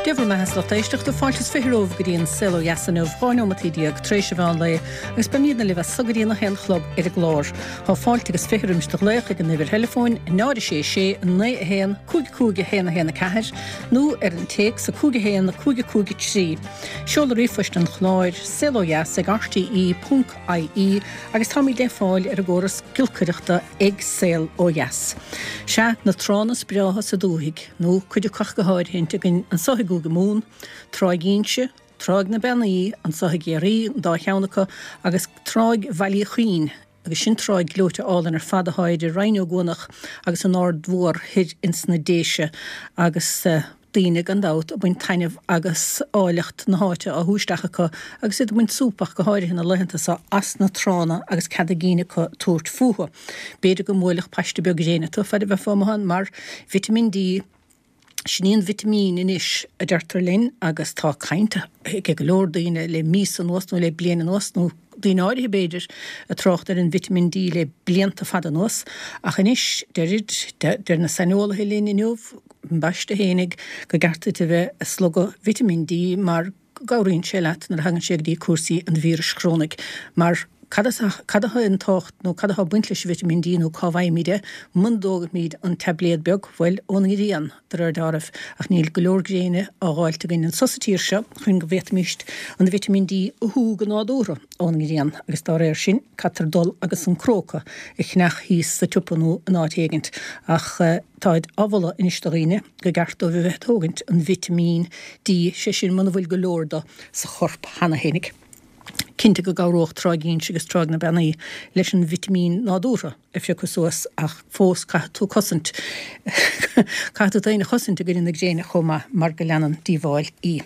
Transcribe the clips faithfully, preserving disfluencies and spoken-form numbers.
Dia bhur mbeatha a lucht éisteachta fáilte is fiche romhaibh go dtí an Saol Ó Dheas inniu, dhá neomataí déag tar éis an mheán lae agus beimidne libh as so go dtí a haon a chlog ar an gclár. Tá fáilte agus fiche roimis do ghlaoch ag an uimhir theileafóin náid a sé sé naoi a haon cúig cúig a haon a haon a ceathair nó ar an téacs a cúig a haon cúig a cúig a trí. Seoladh ríomhphoist an chláir saol ó dheas ag rte ponc ie agus táimid le fáil ar an gcóras giolcaireachta ag Saol Ó Dheas. Sea, na tránna is breátha sa dúthaigh, nó cuid acu ach go háirithint againn anso i gCúige Mumhan, Tráigh Inse, Tráigh na Beannaí, anso i gCiarraí, an dá cheann acu, agus Tráigh Bhaile Uí Chuinn, agus sin tráigh gleoite álainn ar fad athá idir Rinn Ó gCuanach agus an Aird Mhór thoir ins na Déise, agus daoine gan dabht ag baint taitneamh agus áilleacht na háite á shú isteach acu agus iad ag baint súp ach go háirithe na laethanta seo as na tránna agus cead a gcinn acu tabhairt fúthu. B'fhéidir go mbuailfeadh paiste beag gréine tú fad a bheifeá amuigh ann mar vitimín D, sin í an vitimín anois a deirtear linn agus tá caint ag go leor daoine le míosa anuas nó le bliain anuas nó daoine áirithe b'fhéidir ag trácht ar an vitimín D le blianta fada anuas ach anois deirid, deir na saineolaithe linn inniu, ambaiste fhéinig, go gceart duit a bheith ag slogadh vitimín D mar go gcabhraíonn sé leat nuair a thagann sé go dtí cúrsaí an víris chrónaigh mar cad cad atá an tábhacht nó cad atá ag baint leis an vitimín D nó cá bhfaighimid é muna dtógaimid an taibléad beag, bhuel, ón ngrian, de réir dealraimh, ach níl go leor gréine á dh'fháilt againn anso sa tír seo chun go bhféadfaimíst an vitimín D a shú go nádúrtha ón ngrian agus dá réir sin caitear dul agus an cróca a cheannach thíos sa tsiopa nó in áit éigint ach táid á mholadh anois do dhaoine go gceart dóibh a bheith ag tógaint an vitimín D, sé sin muna bhfuil go leor do sa chorp cheana fhéinig. Cinnte go gcabhródh Tráigh Inse agus Tráigh na Beannaí leis an vitimín nádúrtha a phiocadh suas ach fós caithfidh tú cosaint, caithfidh tú tú fhéin a chosaint i gcoinne na gréine chomh maith mar go leanann díobháil í.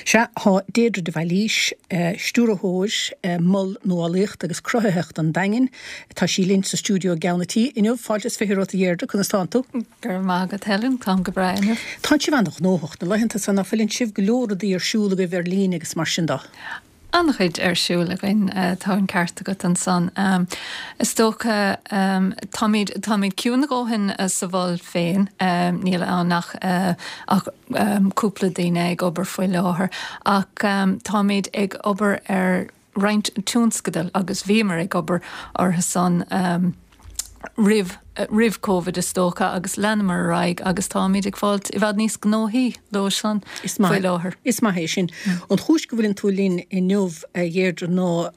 Sea, tá Deirdre de Bhailís, Stiúrthóir Mol Nuálaíochta agus Cruthaitheachta an Daingin, tá sí linn sa stiúideo i gceann an tí inniu. Fáilte is fiche romhat a Dheirdre, conas tánn tú? Go raibh maith agat Helen, táim go breá inniu. Tánn sibh an-ghnóthach na laethanta seo, ná fuileann sibh? Go leor rudaí ar siúl agaibh ar líne agus mar sin de. An-chuid ar siúl againn, tá an ceart agat ansan. Is dócha, táimid, táimid ciúin a dhóthain sa mhol féin, níl ann ach ach cúpla daoine ag obair faoi láthair, ach táimid ag obair ar roinnt tionscadal agus bhíomar ag obair orthu san. roimh roimh Covid is dócha agus leanamar ar aghaidh agus táimid ag fáilt i bhfad níos gnóthaí leo san faoi láthair. Is maith é sin. An chúis go bhfuileann tú linn inniu a Dheirdre ná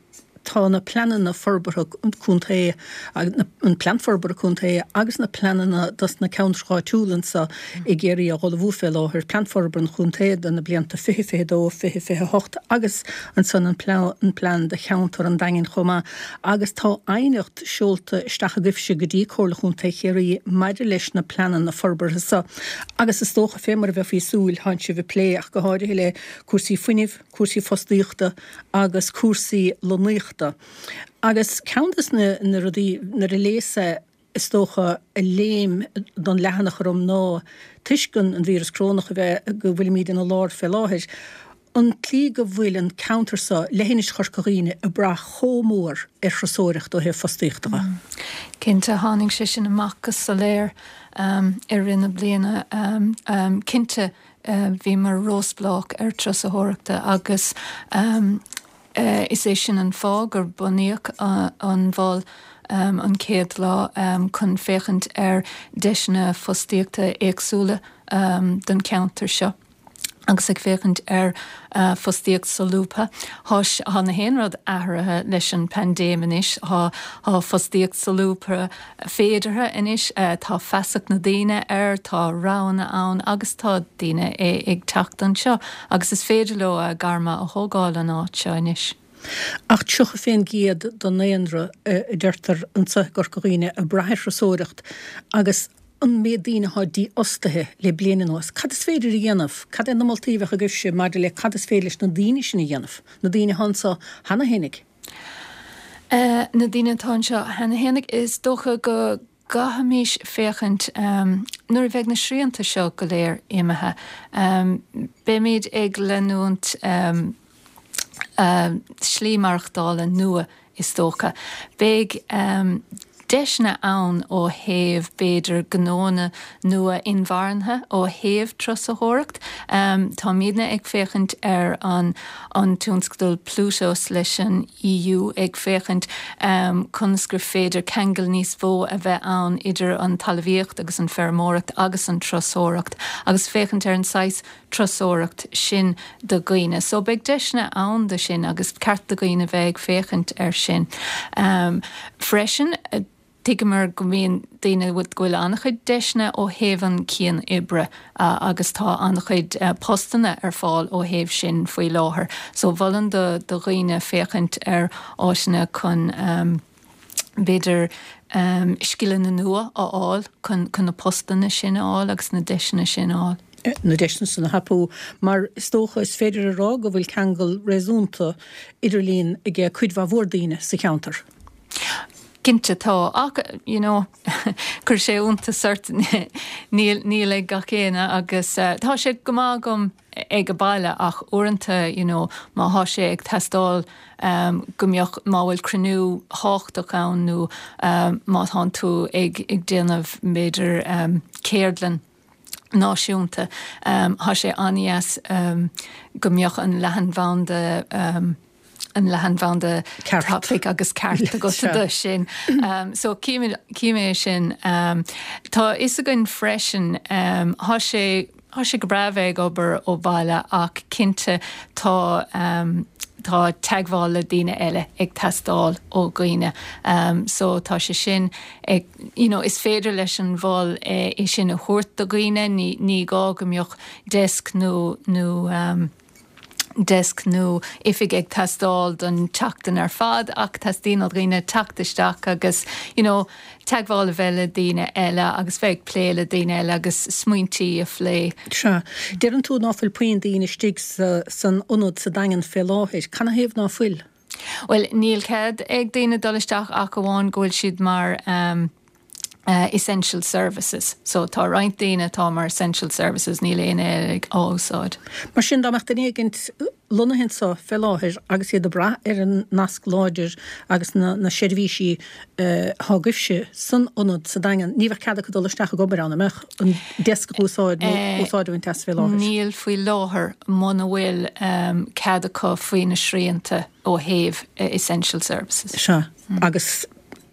tá na pleananna forbartha contae, an plean forbartha contae agus na pleananna dos na ceantracha áitiúla anso i gCiarraí á dh'ullmhú fé láthair, plean forbartha an chontae do na blianta fiche fiche dó, fiche fiche hocht agus ansan an plean do cheantar an Daingin chomh maith agus tá aighneacht seolta isteach agaibhse go dtí Comhairle Chontae Chiarraí maidir leis na pleananna forbartha seo agus is dócha, fé mar a bheifí ag súil, tánn sibh ag plé ach go háirithe le cúrsaí fuinnimh, cúrsaí fostaíochta agus cúrsaí lonnaíochta. Agus ceann des na rudaí, nuair a léas é, is dócha, a léim don leathanach orm ná, toisc an víreas corónach a bheith, go bhfuilimid ina lár fé láthair, an tslí go bhfuil an ceantar seo, leithinis Chorca Dhuibhne, ag brath chomh mór ar thurasóireacht ó thaobh fostaíochta de. Cinnte, tháinig sé sin amach go soiléir i rith na bliana. Cinnte, bhíomar róspleách ar turasóireachta agus is é sin an fáth gur bunaíodh an mhol an chéad lá chun féachaint ar deiseanna fostaíochta éagsúla don cheantar seo. agus ag féachaint ar fostaíocht solúbtha. Tá tá na haon rud athraithe leis an paindéim anois, tá tá fostaíocht solúbtha féideartha anois, tá feasacht na daoine air, tá roghanna ann agus tá daoine ag teacht anseo agus is féidir leo a gairm a thógáil an áit seo anois. Ach tríocha fén gcéad den ndaonra, a deirtear anseo i gCorca Dhuibhne, ag brath ar thurasóireacht agus an méid daoine atá dífhostaithe le bliain anuas, cad is féidir a dhéanamh? Cad é na moltaí a bheadh agaibhse maidir le cad is féidir leis na daoine sin a dhéanamh, na daoine atá anseo cheana fhéinig? Na daoine atá anseo cheana fhéinig, is dócha go gcaithfimis féachaint nuair a bheidh na srianta seo go léir imithe, beimid ag leanúint slí maireachtála nua is dócha. Beidh. deiseanna ann ó thaobh b'fhéidir gnóanna nua inmharthana ó thaobh turasóireacht. Um, Táimidne ag féachaint ar an an tionscadal Plutos leis an EU ag féachaint um, conas gur féidir ceangal níos mó a bheith ann idir an talmhaíocht agus an feirmeoireacht agus an turasóireacht agus féachaint ar an saghas turasóireacht sin do dhaoine. So beidh deiseanna ann do sin agus ceart do dhaoine bheith ag féachaint ar sin. Um, freisin, tuigimid go mbíonn daoine go bhfuil an-chuid deiseanna ó thaobh an cian-oibre uh, agus tá an-chuid uh, postanna ar fáil ó thaobh sin faoi láthair. So mholfainn do do dhaoine féachaint ar áiseanna chun um, b'fhéidir um, scileanna nua a fháil chun chun na postanna sin a fháil agus na deiseanna sin a fháil. na deiseanna sin a thapú mar is dócha is féidir a rá go bhfuil ceangal réasúnta idirlín ag cuid mhór daoine sa cheantar. Cinnte tá ach you know chuir sé iontas ort níl níl ag gach éinne agus uh, tá sé go maith agam ag an baile ach uaireanta you know má tá sé ag teastáil um, go mbeadh má bhfuil cruinniú tábhachtach ann nó um, má tá tú ag ag déanamh b'fhéidir um, ceardlann náisiúnta um, tá sé an-deas um, go mbeadh an leathanbhanda um, an leathanbhanda tapaidh agus ceart agat do sin. Um, so cífimid sin um, Tá fhios againn freisin um, tá sé Tá sé go breá bheith ag obair ó bhaile ach cinnte tá um, tá teagmháil le daoine eile ag teastáil ó dhaoine. Um, so tá sé sin ag, you know, is féidir leis an mhol é, é sin a thabhairt do dhaoine ní, ní gá go mbeadh desk nó nó um, desk nó oifig ag teastáil don tseachtain ar fad ach teastaíonn ó dhaoine teacht isteach agus you know, teagmháil a bheith le daoine eile agus bheith plé le daoine eile agus smaointí a phlé. Sea, deireann tú ná fuil puinn daoine istigh san ionad sa Daingean fé láthair, Canathaobh ná fuil? Well, níl cead ag daoine dul isteach ach amháin go bhfuil siad mar um, uh, essential services. So tá roinnt daoine atá mar essential services níl aon ag úsáid. Mar sin dá mbeadh duine éigin lonnaithe anseo fé láthair agus iad ag brath ar an nasc láidir agus na, na seirbhísí uh, atá agaibhse san ionad sa Daingean, ní bheadh cead acu dul isteach ag obair ann an mbeadh an desk a úsáid nó uh, úsáid an test fé láthair. Níl faoi láthair muna bhfuil um, cead acu faoi na srianta ó thaobh uh, essential services. Sea, mm. agus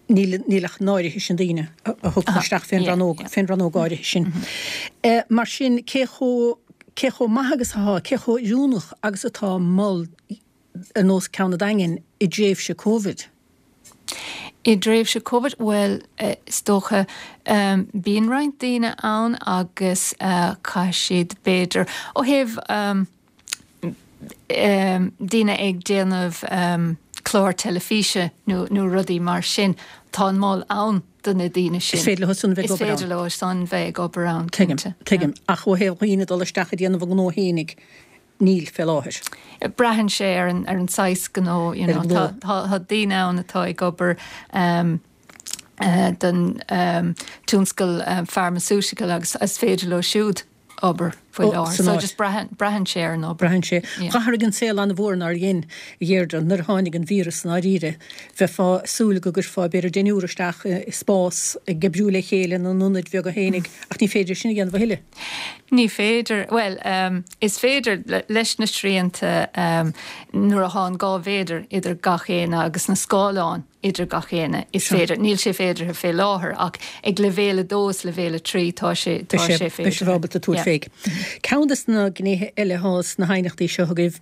níl níl ach an áirithe sin daoine a thug isteach fén rannóg fén rannóg áirithe sin. Mm -hmm. Mar sin cé chomh cé chomh maith agus atá cé chomh oiriúnach agus atá mol ar nós ceann an Daingin i dtréimhse Covid. I dtréimhse Covid well uh, is dócha um, bíonn roinnt daoine ann agus uh, caithfidh siad b'fhéidir ó thaobh um, um, daoine ag déanamh um, clár teilifíse nó nó rudaí mar sin tá an mol ann do na daoine sin. Is féidir leo san bheith Is féidir leo san bheith ag obair ann. Tuigim, tuigim ach ó thaobh dhaoine dul isteach ag déanamh a ngnó fhéinig níl fé láthair. Braitheann sé ar an ar an saghas gnó you know, tá tá daoine ann atá ag obair um, uh, don um, tionscal um, pharmaceutical agus is féidir leo siúd obair faoi láthair. So just braitheann sé ar an obair. Braitheann sé. D'athraigh an saol an-mhór nár dhein a Dheirdre nuair a tháinig an víreas i ndáiríre bheifeá ag súil go gcuirfeá b'fhéidir deichniúr isteach i spás ag oibriú le chéile ina n-ionaid bheaga fhéinig ach ní féidir sin a dhéanamh a thuilleadh. Ní féidir well um, is féidir leis na srianta um, nuair atá an dhá mhéadar idir gach éinne agus na scáileáin idir gach éinne is féidir níl sé féidir fé láthair ach ag leibhéal a dó is leibhéal a trí tá sé tá sé féidir. Beidh sé ábalta tabhairt féig. Ceann des na gnéithe eile atá sna haighneachtaí seo agaibh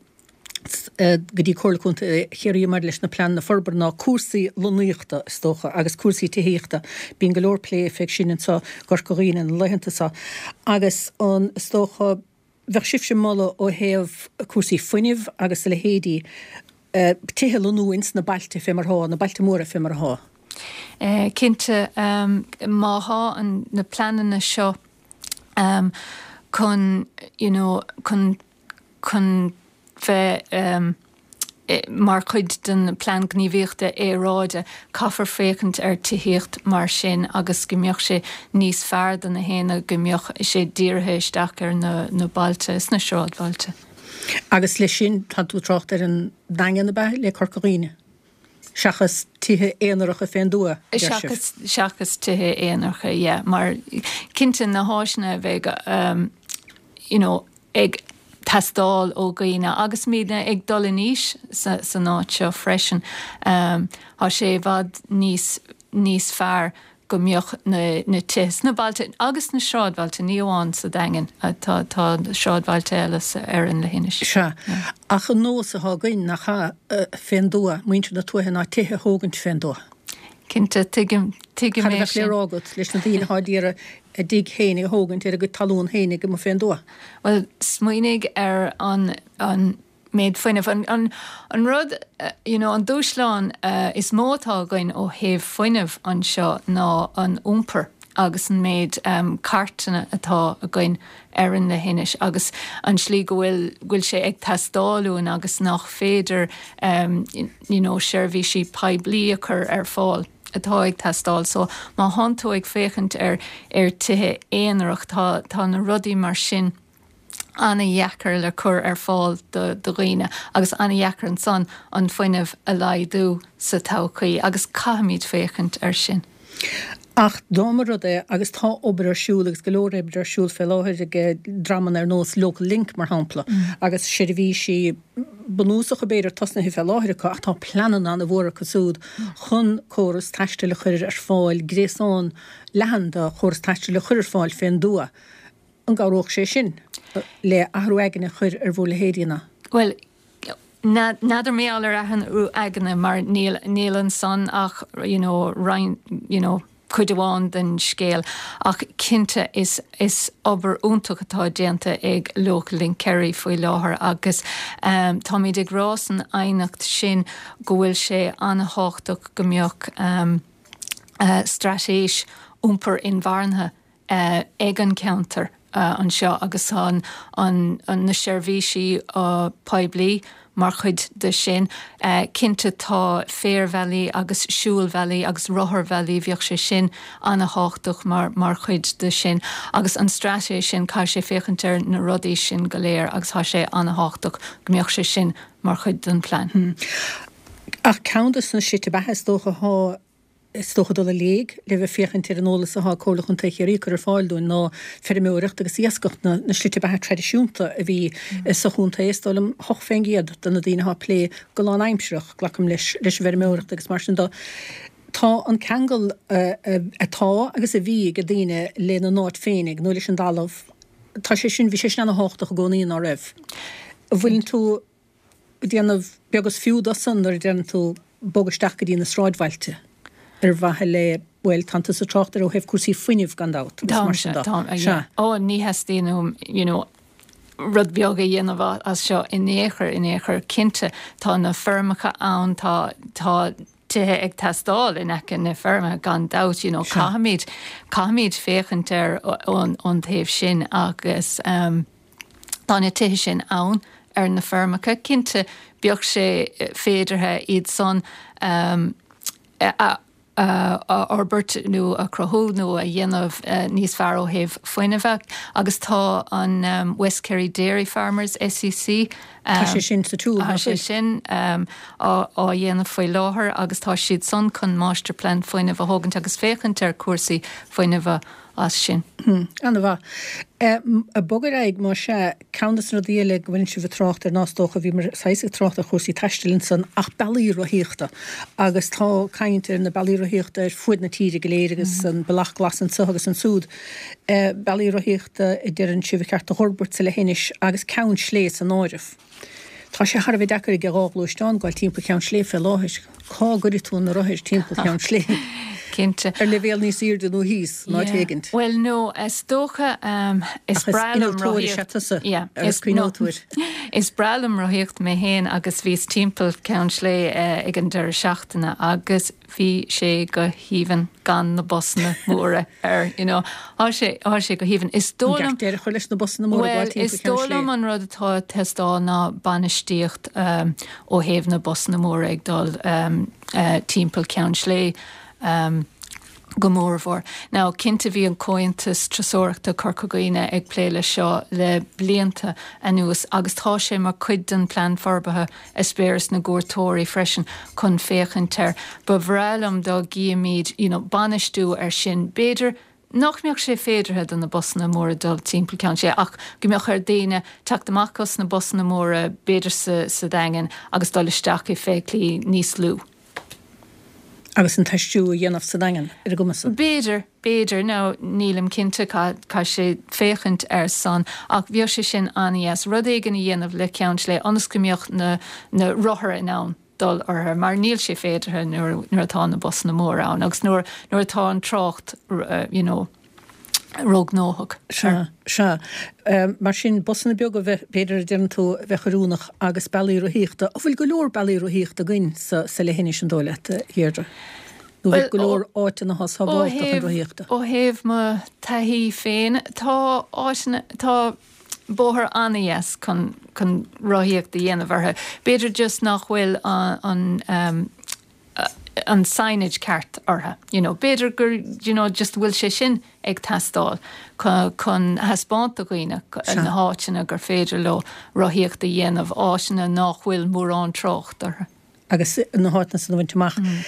go dtí Comhairle Contae Chiarraí maidir leis na pleananna forbartha ná cúrsaí lonnaíochta is dócha agus cúrsaí tithíochta. Bíonn go leor plé fé sin anseo i gCorca Dhuibhne na laethanta seo agus an is dócha bheadh sibhse ag moladh ó thaobh cúrsaí fuinnimh agus a leithéidí tithe a lonnú ins na bailte fé mar atá, na bailte móra fé mar atá. Cinnte má thá na pleananna seo um, chun you know, chun chun bheith um, mar chuid den plean gníomhaíochta aeráide caithfear féachaint ar tithíocht mar sin agus go mbeadh sé níos fearr do na héinne go mbeadh sé dírithe isteach ar na, na bailte is na sráidbhailte. Agus leis sin tá tú trácht ar an Daingean ab ea le Corca Dhuibhne. Seachas tithe aonaracha fén dtuath, deir sibh. Seachas, seachas tithe aonaracha, yeah, mar cinnte na háiseanna a bheidh um, you know, ag teastáil ó dhaoine agus muidne ag dul in aois sa, san áit seo freisin. Um, tá sé i bhfad níos, níos fearr go mbeadh na, na tithe sna bailte agus na sráidbhailte, ní amháin sa Daingean, tá, tá sráidbhailte eile ar an leithinis. Sea, ach an nós atá againn nach ea fén dtuath, muintir na tuaithe ná tithe a thógaint fén dtuath. Cinnte, tuigim, tuigim Cad a é bheadh le sin. rá agat leis na daoine atá ag iarraidh a dtigh féinig a thógaint ar a gcuid talún féinig amuigh fén dtuath? Bhuel, smaoinigh ar an, an méid fuinnimh. An, an, an rud, you know, an dúshlán uh, is mó atá againn ó thaobh fuinnimh anseo ná an iompar agus an méid um, cairteanna atá againn ar an leithinis agus an slí go bhfuil bhfuil sé ag teastáil uainn agus nach féidir um, you know, seirbhísí poiblí a chur ar fáil atá ag teastáil. So má thánn tú ag féachaint ar ar tithe aonarach tá, tá na rudaí mar sin an-dheacair le cur ar fáil do do dhaoine agus an-dheacair ansan an fuinneamh a laghdú sa todhchaí agus caithfimid féachaint ar sin. Ach dá mba rud é agus tá obair ar siúl agus go leor oibre ar siúl fé láthair ag dreamanna ar nós Local Link mar shampla agus seirbhísí bunúsacha b'fhéidir tosnaithe fé láthair acu ach tá pleananna an-mhór acu siúd chun córas taistil a chur ar fáil gréasán leathan de chóras taistil a chur ar fáil fén dtuath. An gcabhródh sé sin le athrú aigne a chur ar bhur leithéidí-na? Well, N'fheadar mé ar athrú aigne mar níl níl ansan ach you know, roinn, you know, cuid amháin den scéal ach cinnte is is obair iontach atá déanta ag Local Link Kerry faoi láthair agus um, táimid ag rá san aighneacht sin go bhfuil sé an-tábhachtach go mbeadh um, uh, straitéis iompar inmharthana uh, ag an ceantar uh, anseo agus an, an, an na seirbhísí uh, poiblí mar chuid de sin. Uh, cinnte tá féarbhealaí agus siúlbhealaí agus rotharbhealaí bheadh sé sin an-tábhachtach mar, mar chuid de sin. agus an straitéis sin caithfidh sé féachaint ar na rudaí sin go léir agus tá sé an-tábhachtach go mbeadh sé sin mar chuid den plean. Hmm. Ach ceann de na slite beatha is dócha thá is dócha dul i léig le bheith féachaint ar an eolas atá Comhairle Chontae Chiarraí cur ar fáil dúinn ná feirmeoireacht agus iascach na, na slite beatha traidisiúnta a bhí mm. sa chontae is dóigh liom hocht faoin gcéad de na daoine atá ag plé go lánaimsearach glacaim leis leis an bhfeirmeoireacht agus mar sin de. Tá an ceangal uh, uh, atá agus a bhí ag daoine lena n-áit féinig nó leis an dtalamh Tá sé sin bhí sé sin an-tábhachtach i gcónaí ná raibh. Bhfuil tú déanamh beag is fiú dó san nuair a déanann tú bogadh isteach go dtí na sráidbhailte ar mhaithe le bhuel tá tusa ag trácht ar ó thaobh cúrsaí fuinnimh gan dabht agus mar sin de. Tá ó ní theastaíonn you know, rud beag a dhéanamh as seo in aon chor in aon chor cinnte tá na feirmeacha ann tá tá tithe ag teastáil in aice na feirme gan dabht you know, caithfimid caithfimid féachaint ar ón ón taobh sin agus um, tá na tithe sin ann ar na feirmeacha cinnte bheadh sé féideartha iad san um, a, a fhorbairt nó a chruthú nó a dhéanamh uh, níos fearr ó thaobh fuinnimh agus tá an um, West Kerry Dairy Farmers SEC um, Tá sé sin sa túl Tá sé sin um, á, á dhéanamh faoi láthair agus tá siad san chun máistirphlean fuinnimh a thógaint agus féachaint ar cúrsaí fuinnimh as sin. Hmm, An-mhaith. Ag bogadh ar aghaidh mar sin ceann de na rudaí eile go bhfuil sibh ag trácht air ná is dócha bhí mar saghas ag trácht ar chúrsaí taistil ansan ach bealaí rothaíochta agus tá caint ar na bealaí rothaíochta ar fuaid na tíre go léir agus mm. an bealach glas anseo agus ansúd. Bealaí rothaíochta a deireann sibh ba cheart a fhorbairt sa leithinis agus Ceann Slé san áireamh. Tá sé thar a bheith deacair ag dhá ghluaisteán gabháil timpeall Cheann Slé fé láthair. Cá gcuirfidh tú na rothair timpeall Cheann Slé? Cinnte. Ar leibhéal níos airde nó thíos ná téigint. Well no, is dócha um, is breá liom rothaíocht. Yeah, is cuiotóir. Is breá liom rothaíocht mé féin agus bhíos timpeall Ceann Slé uh, ag an deireadh seachtaine agus bhí sé go haoibhinn gan na busanna móra ar you know Tá sé tá sé go haoibhinn is dóigh liom chuir leis na busanna móra well, is dóigh liom an rud atá ag teastáil ná bainistíocht um, ó thaobh na busanna móra ag dul um, uh, timpeall Ceann Slé um, Go mórmhór. Now cinnte bhí an Comhaontas Turasóireachta Corca Dhuibhne ag plé le seo le blianta anuas agus tá sé mar chuid den plean forbartha eispéireas na gcuairteoirí freisin chun féachaint air. Ba bhreá liom dá gcífimid you know, bainistiú ar sin. B'fhéidir nach mbeadh sé féideartha do na busanna móra dul timpeall Ceann Sléibhe ach go mbeadh ar daoine teacht amach as na busanna móra b'fhéidir sa, sa Daingean agus dul isteach i feithiclí níos lú. Agus an taisteal a dhéanamh sa Daingean ar a gcumas. B'fhéidir, b'fhéidir nó nílim cinnte caithfidh sé féachaint ar san ach bheadh sé sin an-dheas rud éigin a dhéanamh le Ceann Sléibhe ionas go mbeadh na, na rothair in ann dul orthu mar níl sé féideartha nuair nuair atá na busanna móra ann agus nuair nuair atá an trácht uh, you know, róghnóthach. Sea, sea. Um, mar sin busanna beaga bheith b'fhéidir a deireann tú bheith oiriúnach agus bealaí rothaíochta. An bhfuil go leor bealaí rothaíochta againn sa, sa leithinis an dóigh leat, Dheirdre? Nó bhfuil go leor áiteanna atá sábháilte chun rothaíochta? Ó thaobh mo taithí féin tá áiteanna tá bóthar an-dheas chun chun rothaíocht a dhéanamh orthu. B'fhéidir just nach bhfuil an, an um, an signage ceart orthu. You know, b'fhéidir gur you know, just bhfuil sé sin ag teastáil chun thaispeáint do dhaoine na háiteanna gur féidir leo rothaíocht a dhéanamh áiteanna nach bhfuil mórán trácht orthu. Agus na háiteanna san a bhaint amach. Mm.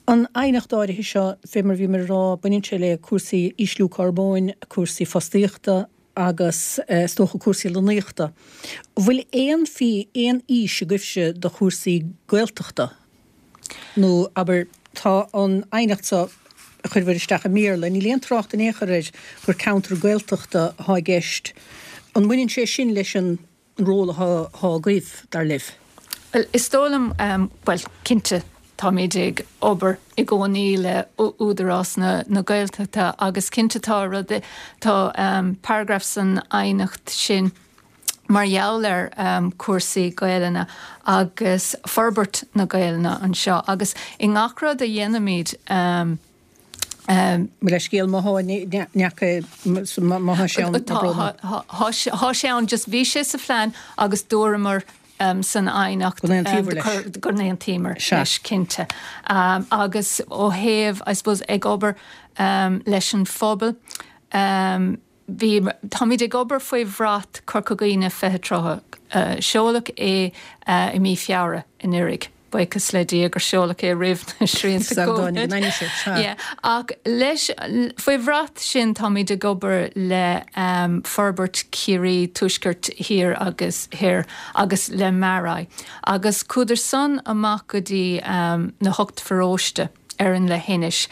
An aighneacht áirithe seo fé mar bhí mar rá baineann sé le cúrsaí ísliú carbóin, cúrsaí fostaíochta agus is dócha cúrsaí lonnaíochta. Bhfuil aon fhí aon fhís agaibhse do chúrsaí Gaeltachta? Nó abair tá an aighneacht seo a chuireabhair isteach i mBéarla, níl aon trácht in aon chor air gur ceantar Gaeltachta atá i gceist. An mbaineann sé sin leis an ról atá agaibh dar libh? Well, is dóigh liom um, well, cinnte táimid ag obair i gcónaí le Údarás na, na Gaeltachta agus cinnte tá rud tá um, paragraf san aighneacht sin mar gheall ar um, cúrsaí Gaelainne agus forbairt na Gaelainne anseo agus i ngach rud a dhéanaimid um, Um, le scéal má má sé Tá sé an just bhí sé sa phlean agus dúramar um, san aighneacht go n-aontaíomar leis cinnte. Um, agus ó thaobh I suppose ag obair um, leis an phobal um, bhí táimid ag obair faoi bhrat Corca Dhuibhne fiche tríocha uh, seoladh é uh, i mí Feabhra anuraidh. Buíochas le Dia gur seoladh é roimh na srianta Ach leis faoi bhrat sin táimid ag obair le um, forbairt Chiarraí Tuaisceart Thiar agus Thoir agus le MaREI. Agus chuadar san amach go dtí um, na hocht bparóiste ar an leithinis.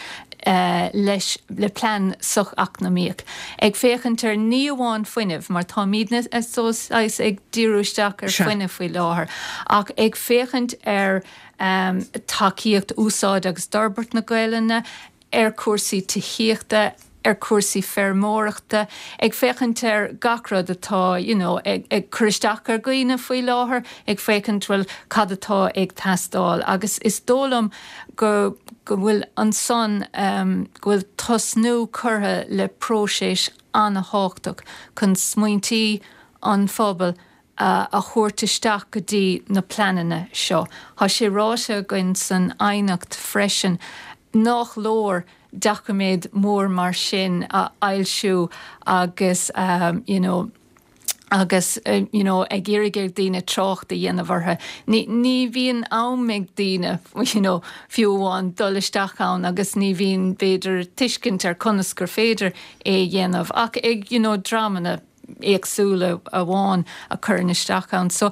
Uh, leis le plean socheacnamaíoch. Ag féachaint ar ní amháin fuinneamh, mar táimidne ag díriú isteach ar fuinneamh faoi láthair, ach ag féachaint ar um, tacaíocht úsáid agus d'fhorbairt na Gaelainne, ar cúrsaí tithíochta, ar cúrsaí feirmeoireachta, ag féachaint ar gach rud atá you know, ag, ag cur isteach ar dhaoine faoi láthair, ag féachaint bhfuil cad atá ag teastáil. Agus is dóigh liom go go bhfuil ansan um, go bhfuil tosnú curtha le próiseas an-tábhachtach chun smaointí an phobail uh, a thabhairt isteach go dtí na pleananna seo. Tá sé ráite againn san aighneacht freisin nach leor doiciméad mór mar sin a fhoilsiú agus um, you know, agus uh, you know, ag iarraidh ar daoine trácht a dhéanamh orthu. Ní, ní bhíonn am ag daoine you know, fiú amháin dul isteach ann agus ní bhíonn b'fhéidir tuiscint ar conas gur féidir é dhéanamh ach ag you know, dreamanna éagsúla amháin a chuireann isteach ann. So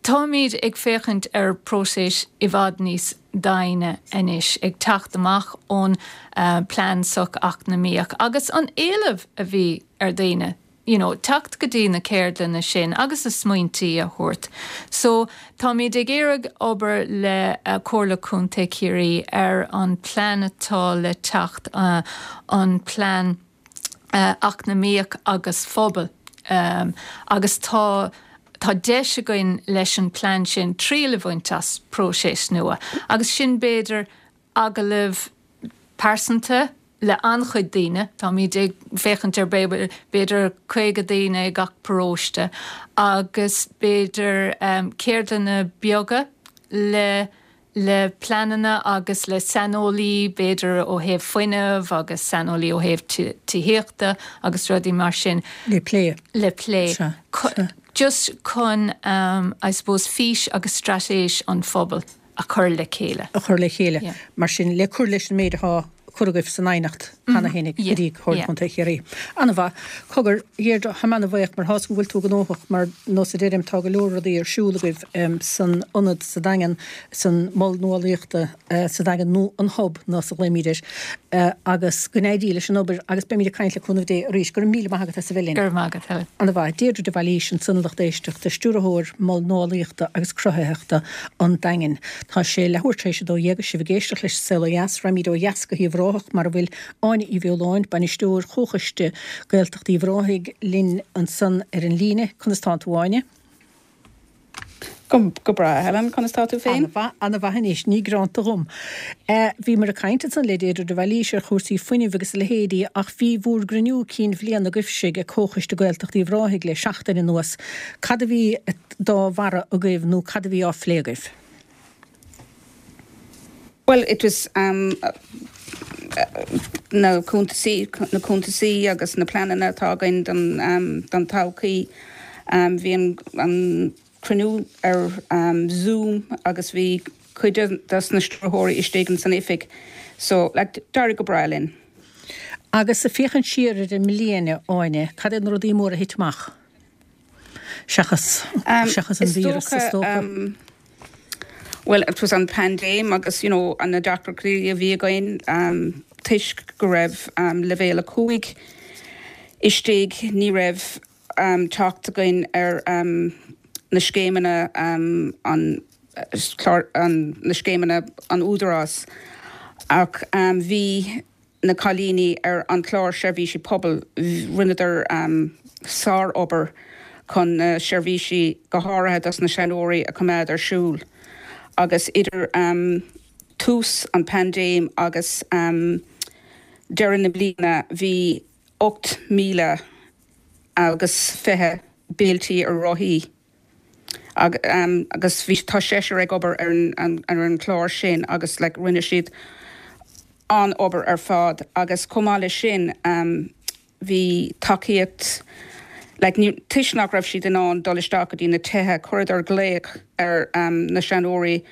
táimid ag féachaint ar próiseas i bhfad níos doimhne anois ag teacht amach ón uh, plean socheacnamaíoch agus an éileamh a bhí ar daoine. You know, teacht go dtí na ceardlanna sin agus a smaointí a thabhairt. So táimid ag iarraidh obair le uh, Comhairle Contae Chiarraí ar an plean atá le teacht uh, an plean uh, eacnamaíoch agus phobail. Um, agus tá Tá deis againn leis an plean sin triail a bhaint as próiseas nua, agus sin b'fhéidir agallamh pearsanta le an-chuid daoine, Táimid ag féachaint ar b'fhéidir caoga daoine ag gach paróiste, agus b'fhéidir um, ceardlanna beaga le le pleananna agus le saineolaí b'fhéidir ó thaobh fuinnimh agus saineolaí ó thaobh tithíochta agus rudaí mar sin. Le plé. Le plé. Just chun um, I suppose fís agus straitéis an phobail a chur le chéile. A chur le chéile. Yeah. Mar sin le cur leis an méid atá curtha agaibh san aighneacht cheana féin go dtí Comhairle Contae Chiarraí. An-mhaith, cogar Dheirdre, tá mé an-bhuíoch mar tá go bhfuil tú gnóthach mar nós a deirim tá go leor rudaí ar siúl agaibh san ionad sa Daingean san mol nuálaíochta sa Daingean nó an hub nós a ghlaoimid air agus go n-éirí leis an obair agus beimid ag caint le cúnamh Dé arís. Go raibh míle maith agat as a bheith linn. Go raibh maith agat Helen. An-mhaith. Deirdre de Bhailís ansan a lucht éisteachta, Stiúrthóir Mol Nuálaíochta agus Cruthaitheachta an Daingin. Tá sé leathuair tar éis a dó dhéag agus sibh ag éisteacht leis An Saol Ó Dheas. Raghaimid ó dheas go hUíbh Ráthach mar a bhfuil Áine Uí Bheoláin, Bainisteoir Chomhchoiste Gaeltacht Uíbh Ráthaigh linn ansan ar an líne. Conas tánn tú Áine? Go go breá Helen, conas tá tú féin? An-mhaith anois, ní gearánta dhom. Bhíomar ag caint ansan le Deirdre de Bhailís ar chúrsaí fuinnimh agus a leithéidí ach bhí bhur gcruinniú cinn bhliana agaibhse ag Comhchoiste Gaeltacht Uíbh Ráthaigh le seachtain anuas. Cad a bhí dá bharra agaibh nó cad a bhí á phlé agaibh? Well, it was um, na cuntasaí na cuntasaí agus na pleananna atá againn don, um, don todhchaí. Um, bhí an, an cruinniú ar um, Zoom agus bhí cuid des na stiúrthóirí istigh san oifig. So like, d'éirigh go breá linn. Agus ag féachaint siar ar an mbliain Áine, cad é na rudaí móra a thit amach? Seachas um, seachas an víreas is dócha. Um, well, it was an paindéim agus you know, an na deacrachtaí a bhí againn um, toisc go raibh um, leibhéal a cúig istigh ní raibh um, teacht againn ar um, na scéimeanna um, an, clár, an, na scéimeanna an údarás ach um, bhí na cailíní ar an chlár seirbhísí pobail rinneadar um, sárobair chun na seirbhísí go háirithe dos na seanóirí a choimeád ar siúl. Agus idir um, tús an paindéim agus um, deireadh na bliana bhí ocht míle agus fiche béiltí ar rothaí. Ag, um, agus bhí tá seisear ag obair ar an, an, ar an chlár sin agus like, rinne siad an obair ar fad agus chomh maith leis sin um, bhí tacaíocht like, ní, toisc nach raibh siad in ann dul isteach go dtí na tithe chuireadar glaoch ar um, na seanóirí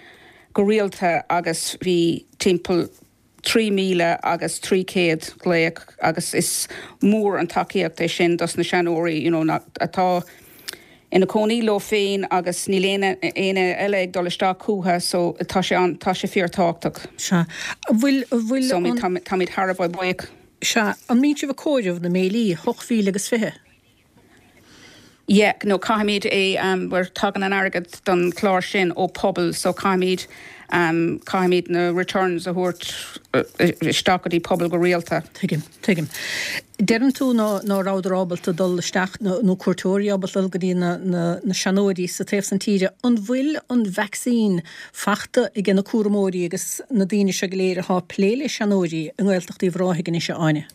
go rialta agus bhí timpeall trí míle agus trí chéad glaoch agus is mór an tacaíocht é sin dos na seanóirí you know, na, atá ina cónaí leo féin agus níl aon éinne eile ag dul isteach chucu so tá sé an tá sé fíorthábhachtach. Sea. Bhfuil bhfuil So táimid thar a bheith buíoch. Sea, an mbíonn sibh ag comhaireamh na mbéilí ocht mhíle agus fiche. Yeah, no caithfimid é um, where tagann an airgead don chlár sin ó pobal, so caithfimid um, caithfimid na returns a thabhairt uh, isteach go dtí pobal go rialta. Tuigim, tuigim. Deireann tú ná ná rabhadar ábalta dul isteach nó cuairteoirí ábalta dul go dtí na, na, na seanóirí sa taobh san tíre. An bhfuil an vaccine faighte ag na cúramóirí agus na daoine seo go léir atá ag plé le seanóirí i nGaeltacht Uíbh Ráthaigh anois Áine?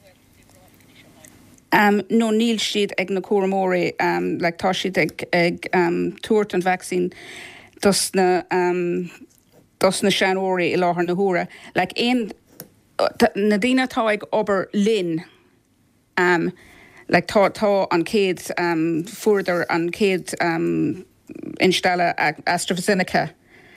Um, no níl siad ag na cúramóirí um, like, tá siad ag, ag um, tabhairt an vaccine dos na um, dos na seanóirí i láthair na huaire. Like, aon, na daoine atá ag obair linn um, like, tá, tá an chéad um, fuaireadar an chéad um, instealladh AstraZeneca.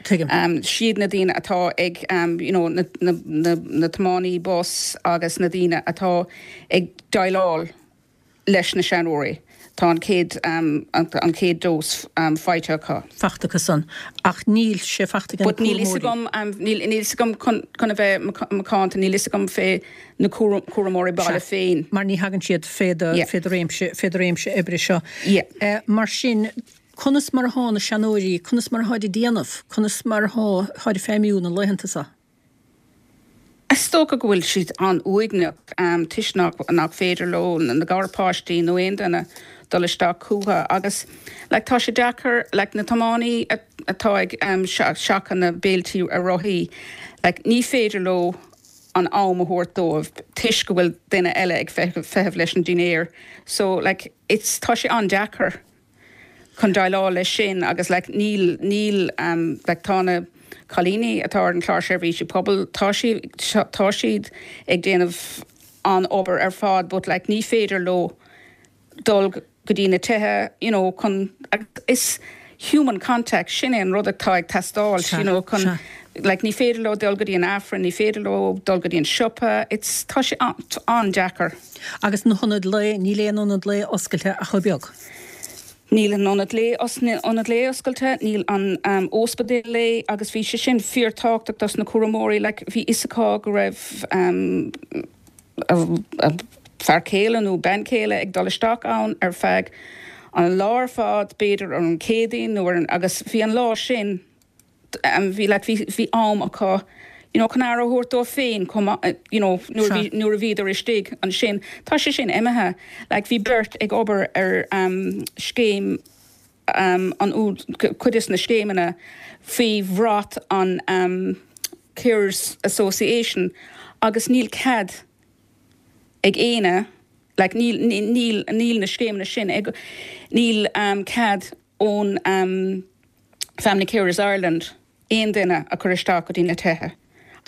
Tuigim. Um, siad na daoine atá ag um, you know, na, na, na, na tiománaí bus agus na daoine atá ag déileáil leis na seanóirí. Tá an chéad um, an, an chéad dós um, faighte acu. Faighte acu san ach níl sé faighte But níl fhios agam um, níl níl fhios agam chun chun a bheith macánta níl fhios agam fé na cúramóirí baile féin. Mar ní thagann siad fé do Yeah. fé do réimse fé do réimse oibre seo. Yeah. Eh, mar sin conas mar atá na seanóirí, conas mar atá ag déanamh, conas mar atá ag feidhmiú na laethanta seo. Is dócha go bhfuil siad an-uaigneach um, toisc nach nach féidir leo na na garpháistí nó aon duine dul isteach chucu agus like, tá sé deacair like, na tiománaí atá ag um, seachadh na béiltí ar rothaí like, ní féidir leo an am a thabhairt dóibh toisc go bhfuil duine eile ag feitheamh leis an dinnéar. So like, it's tá sé an-deacair chun déileáil leis sin agus like, níl níl um, like, tá na cailíní atá ar an chlár seirbhísí pobail tá tá siad ag déanamh an obair ar fad but like ní féidir leo dul go dtí na tithe you know chun is human contact sin é an rud atá ag teastáil you know chun like ní féidir leo dul go dtí an Aifreann ní féidir leo dul go dtí an siopa it's tá sé an-deacair. Agus na hionaid lae níl aon ionad lae oscailte ach chomh beag. Níl an ionad lae ionad lae oscailte, níl an um, ospidéal lae agus bhí sé sin fíorthábhachtach dos na cúramóirí like, bhí fhios acu go raibh um, a, a fear céile nó bean chéile ag dul isteach ann ar feadh an lá ar fad b'fhéidir ar an Chéadaoin nó an, agus bhí an lá sin um, bhí like, bhí, bhí am acu you know, chun aire a thabhairt dóibh féin you know, nuair a bhíodar istigh ansin tá sé sin imithe like, bhí beirt ag obair ar um, scéim um, an cuid de na scéimeanna faoi bhrat an um, Carers Association agus níl cead ag éinne like, níl, níl, níl na scéimeanna sin ag níl um, cead ón um, Family Carers Ireland aon duine a chur isteach go dtí na tithe.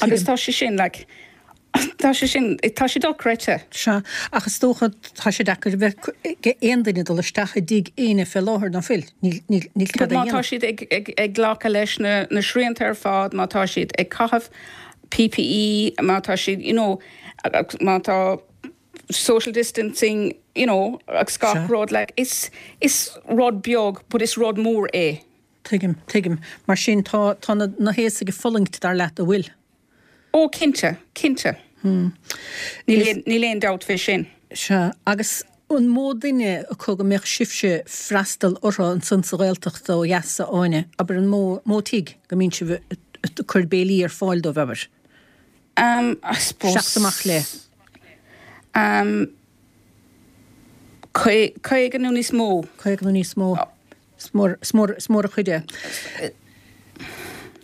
Agus tá sé sin like, tá sé sin tá sé dochreidte. Sea ach is dócha tá sé deacair bheith aon duine dul isteach i dtigh éinne fé láthair nach bhfuil níl Má tá siad ag, ag, ag glacadh leis na, na srianta ar fad, má tá siad ag caitheamh PPE, má tá siad you know, má tá social distancing you know, agus gach rud like, is, is rud beag, but is rud mór é. Tuigim, tuigim, mar sin tá tá na, na haosaigh ag fulaingt dar leat an bhfuil. Ó cinnte, cinnte. Hmm. Níl aon dabht fé sin. Sea, agus an mó duine acu go mbeadh sibhse freastal orthu ansan sa Ghaeltacht ó dheas a Áine, abair an mó mó tigh go mbíonn sibh ag cur béilí ar fáil dóibh abair. Um, I suppose. Seacht amach le. Um, Caoga nó níos mó. Caoga nó níos mó. Is mór, is mór, is mór an chuid é.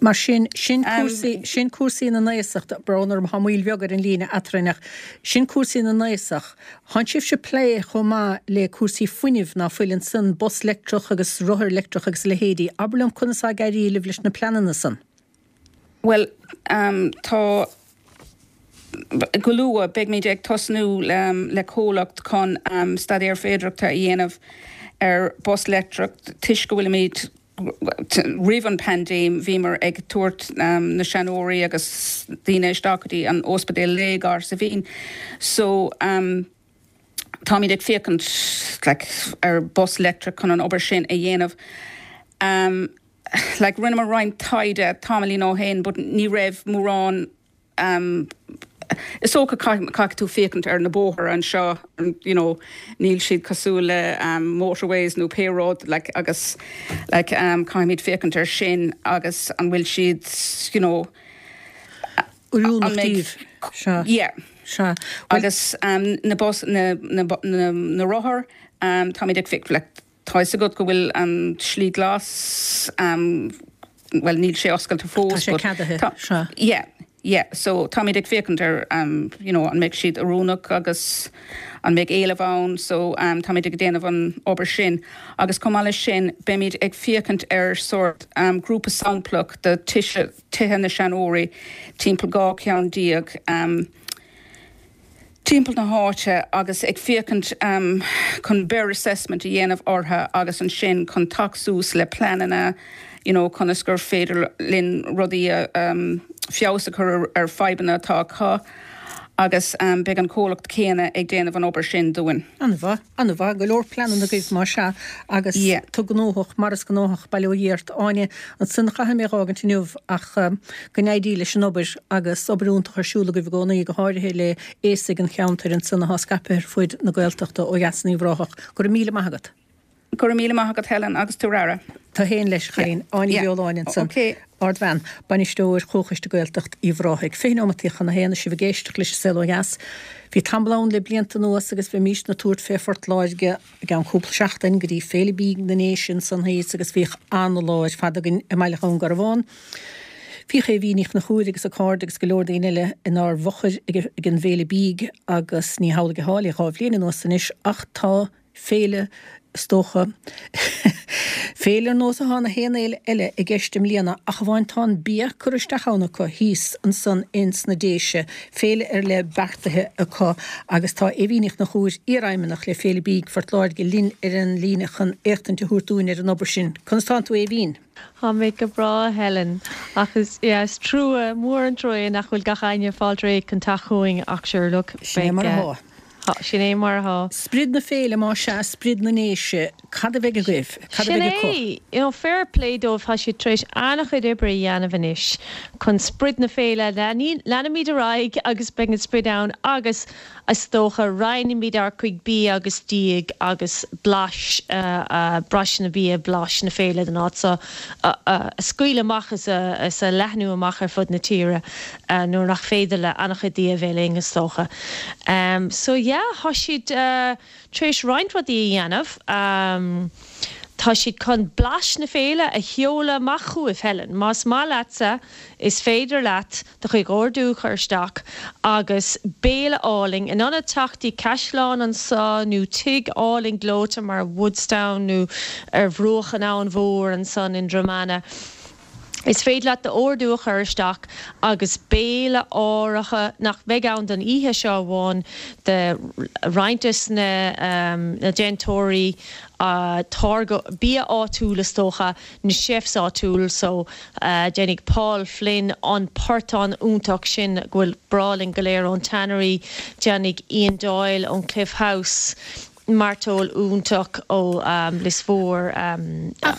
Mar sin sin cúrsaí sin cúrsaí na n-aosach brón orm tá moill bheag ar an líne eadrainn ach sin cúrsaí na n-aosach. Tánn sibhse ag plé chomh maith le cúrsaí fuinnimh ná fuil ansan bus leictreach agus rothar leictreach agus a leithéidí. Abair liom conas atá ag éirí libh leis na pleananna san. Well um, tá go luath beimid ag tosnú le, le comhlacht chun um, staidéar féidearthachta a dhéanamh ar bus leictreach toisc go bhfuilimid roimh an paindéim bhíomar ag tabhairt um, na seanóirí agus daoine isteach go dtí an ospidéal lae gar sa Mhín. So um, táimid ag féachaint like, ar bus leictreach chun an obair sin a dhéanamh. Um, like, rinneamar roinnt taighde tamaillín ó shin, but ní raibh mórán um, Is dócha caithfidh tú féachaint ar na bóithre anseo you know, níl siad cosúil le um, motorways nó pé rud like, agus like, um, caithfimid féachaint ar sin agus an bhfuil siad you know, Oiriúnach daoibh. Sea. Yeah. Sea. Agus um, na, bus, na, na, na, na rothar um, táimid ag féach like, tá fhios agat go bhfuil an slí glas um, well níl sé oscailte fós. Tá sé ceadaithe. Sea. Yeah. Yeah, so táimid ag féachaint ar um, you know, an mbeidh siad oiriúnach agus an mbeidh éileamh ann, so um, táimid ag déanamh an obair sin. Agus chomh maith leis sin beimid ag féachaint ar sort um, grúpa samplach de tithe, tithe na seanóirí timpeall dhá cheann déag um, timpeall na háite agus ag féachaint um, chun bear assessment a dhéanamh orthu agus ansin chun teacht suas le pleananna you know, conas gur féidir linn rudaí um, feabhas a chur ar fadhbanna atá acu agus um, beidh an comhlacht céanna ag déanamh an obair sin dúinn. An-mhaith, an-mhaith, go leor pleananna agaibh mar sea agus Yeah. tú gnóthach mar is gnóthach bail ó Dhia ort Áine ansan caithfidh mé a fhágaint inniu ach um, go n-éirí leis an obair agus obair iontach ar siúl agaibh i gcónaí go háirithe le aosaigh an cheantair ansan atá scaipthe ar fud na Gaeltachta ó dheas in Uíbh Ráthach. Go raibh míle maith agat. Go raibh míle maith agat Helen agus tú rara. Tá héin leis chain Áine Yeah. Bheoláin ansan. Okay. Ardbhean, bainisteoir Chomhchoiste Gaeltacht Uíbh Ráthaigh. Fiche nóimeataí chun a haon sibh ag éisteacht leis an Saol Ó Dheas. Bhí tamall ann le blianta anuas agus bhímis ag tabhairt fé Phort Láirge i gceann cúpla seachtain go dtí Féile Bídh na nDéise san thíos agus bhíodh an-lá ar fad againn i mBaile Dhún Garbhán. Bhíodh Aoibhín Ní Chonchúir agus a cairde agus go leor daoine eile inár bhfochair ag ag an bhFéile Bídh agus ní hamhlaidh atá le dhá bhliain anuas anois ach tá féile is dócha féile ar nós atá na haon fhéile eile i gceist i mbliana ach amháin tá an bia curtha isteach ann acu thíos ansan ins na Déise, féile ar leith beartaithe acu agus tá Aoibhín Ní Chonchúir, iarfheidhmeannach le Féile Bídh Phort Láirge linn ar an líne chun éachtaint a thabhairt dúinn ar an obair sin. Conas tánn tú Aoibhín? Tá mé go breá Helen ach is yeah, is trua mór an trua nach bhfuil gach éinne fáilte réidh chun teacht chugainn ach sure look Sin é mar atá. Sin é mar atá. Sprid na féile má sea sprid na nDéise, cad a bheidh agaibh? Cad a Sin bheidh acu? é, you know, fair play dóibh tá siad tar éis an-chuid oibre a dhéanamh anois chun sprid na féile leanfaimid ar aghaidh agus beidh an sprid ann agus is dócha roinnfimid ár gcuid bia agus dí agus blais uh, uh, blais na bia blais na féile den áit so uh, uh, scaoileadh amach is a, is a leathnú amach ar fud na tíre uh, nuair nach féidir le an-chuid daoine a bheith linn is dócha. Um, so yeah, tá siad uh, tar éis roinnt rudaí a dhéanamh. Um, Tá siad chun blais na féile a sheoladh amach chugaibh Helen. Más maith leatsa is féidir leat do chuid ordú chur isteach agus béile álainn in ionad teacht go caisleán anso nó tigh álainn gleoite mar Woodstown nó ar bhruach an Abhainn Mhór ansan in Dromana. Is féidir leat d'ordú a chur isteach agus béile áirithe nach bheidh ann don oíche seo amháin de roinnt na, um, na déantóirí uh, táirge bia áitiúil is dócha na chefs áitiúil so uh, déanfaidh Paul Flynn an portán iontach sin go bhfuil breá linn go léir ón Tannery, déanfaidh Ian Doyle ón Cliff House, mairteoil iontach ó um, Lios Mhór um,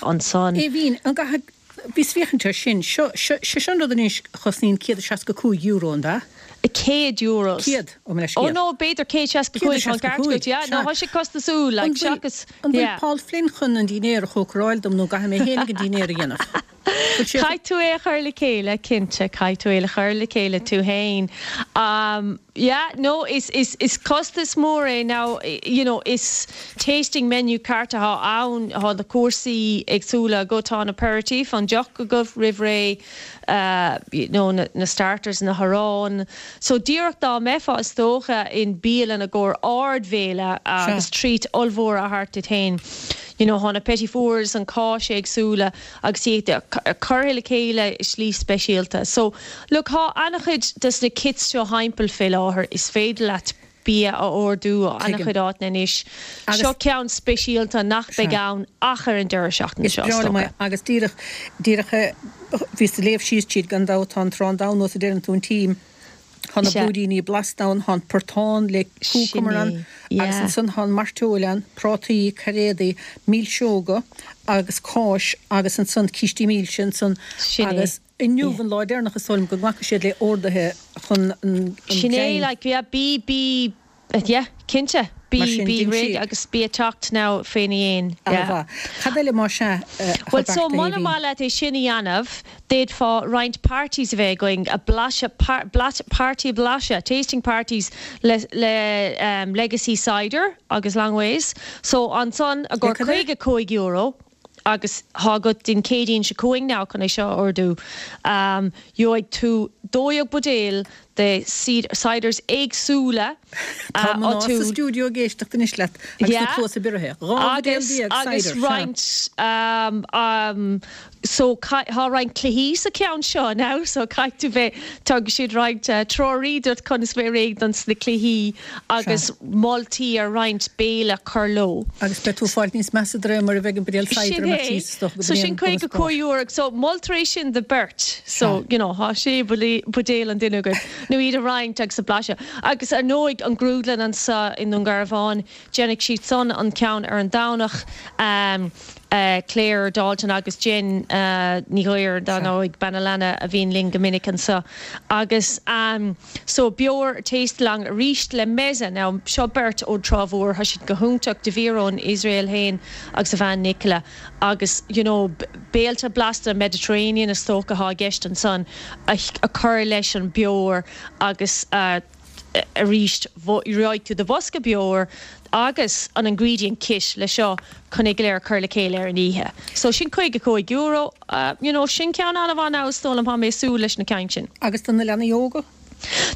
ansan. Aoibhín, an gcaithfidh bhíos ag féachaint air sin, seo seo sin rud anois a chosnaíonn céad is seasca cúig euro an ea? Céad euro. Céad ó me Oh no, b'fhéidir céad seasca cúig an ceart yeah, no tá sé costasúil like seachas An bhfuil Paul Flynn chun an dinnéar a chócaráil dom nó caithfidh mé féin an dinnéar a dhéanamh. Caithfidh tú é chur le chéile cinnte caithfidh tú é chur le chéile tú féin. Um, yeah, no is is is costas mór é now you know is tasting menu ceart atá ann tá na cúrsaí éagsúla go tá an aperitif an deoch go roimh ré uh, you know, na, na starters na harán. So díreach dá mbeifeá is dócha in bialann i gcomhair ardbhéile agus treat ollmhór a thabhairt duit féin. You know, tá na petit fours an cáis éagsúla agus iad curtha le chéile slí speisialta. So look tá an-chuid des na kits seo timpeall fé láthair is féidir leat bia a ordú ó an-chuid áiteanna anois. Seo ceann speisialta nach beidh ann ach ar an deireadh seachtaine Is seo. breá liom é, agus díreach díreach bhíos ag léamh síos tríd gan dabht tá an trán ann a deireann tú an tím. Tá na Sea. blúiríní blasta ann, tá an portán le cúcumar ann, Sin é, agus yeah. ansan tá mairteoil ann, prátaí, cairéadaí, milseoga agus cáis agus ansan cístí milse ansan Sin é. agus inniu an lá deireanach is dóigh liom go nglacfaidh siad le orduithe chun an Sin é greim. like yeah, bí bí yeah, cinnte bí Mar sin, bí din réidh sí. agus bí ag teacht now féna dhéin. Yeah. Cad eile má sea Well so muna maith leat é sin a dhéanamh, d'fhéadfá roinnt parties a bheith going a blaiseadh par, blat, party blaiseadh, tasting parties le, le um, Legacy Cider agus Langways. So ansan i gcomhair cad é? caoga cúig euro agus tá agat don Chéadaoin seo chugainn now chun é seo ordú. Um, Gheobhaidh tú dó dhéag buidéal de ciders éagsúla Tá mná sa stiúideo ag éisteacht anois leat agus na cluasa bioraithe. Dhá agus agus roinnt um, um, so tá roinnt cluichí sa ceann seo now so caithfidh tú bheith tug siad roinnt uh, treoirí duit conas bheith réidh don sna cluichí agus moltaí ar roinnt béile cur leo. Agus beidh tú ag fáil níos measa de réir mar a bheidh an buidéal cider Sin amach é. síos do So sin caoga cúig euro so moltar é sin do beirt so you know tá sé buidéal an duine agat nó iad a roinnt agus a blaiseadh. Agus ar ndóigh an grúdlann anseo i nDún Garbhán, déanfaidh siad san an ceann ar an Domhnach um, uh, Claire Dalton agus Jen uh, Ní Ghuir dar ndóigh Banalana a bhíonn linn go minic anseo. Agus um, so beor taste lang arís le Meze now seo beirt ó Trá Mhór tá siad go hiontach Dvir ón Israel féin agus a bhean Nicola agus you know, béilte blasta Mediterranean is dócha atá i gceist ansan a, a chur leis an beor agus uh, arís gheobhaidh tú do bhosca beor agus an ingredient kit le seo chun é go léir chur le chéile ar an oíche. So sin caoga cúig euro, uh, you know, sin ceann an-mhaith is dóigh liom tá mé ag súil leis na cinn sin. Agus do na leanaí óga?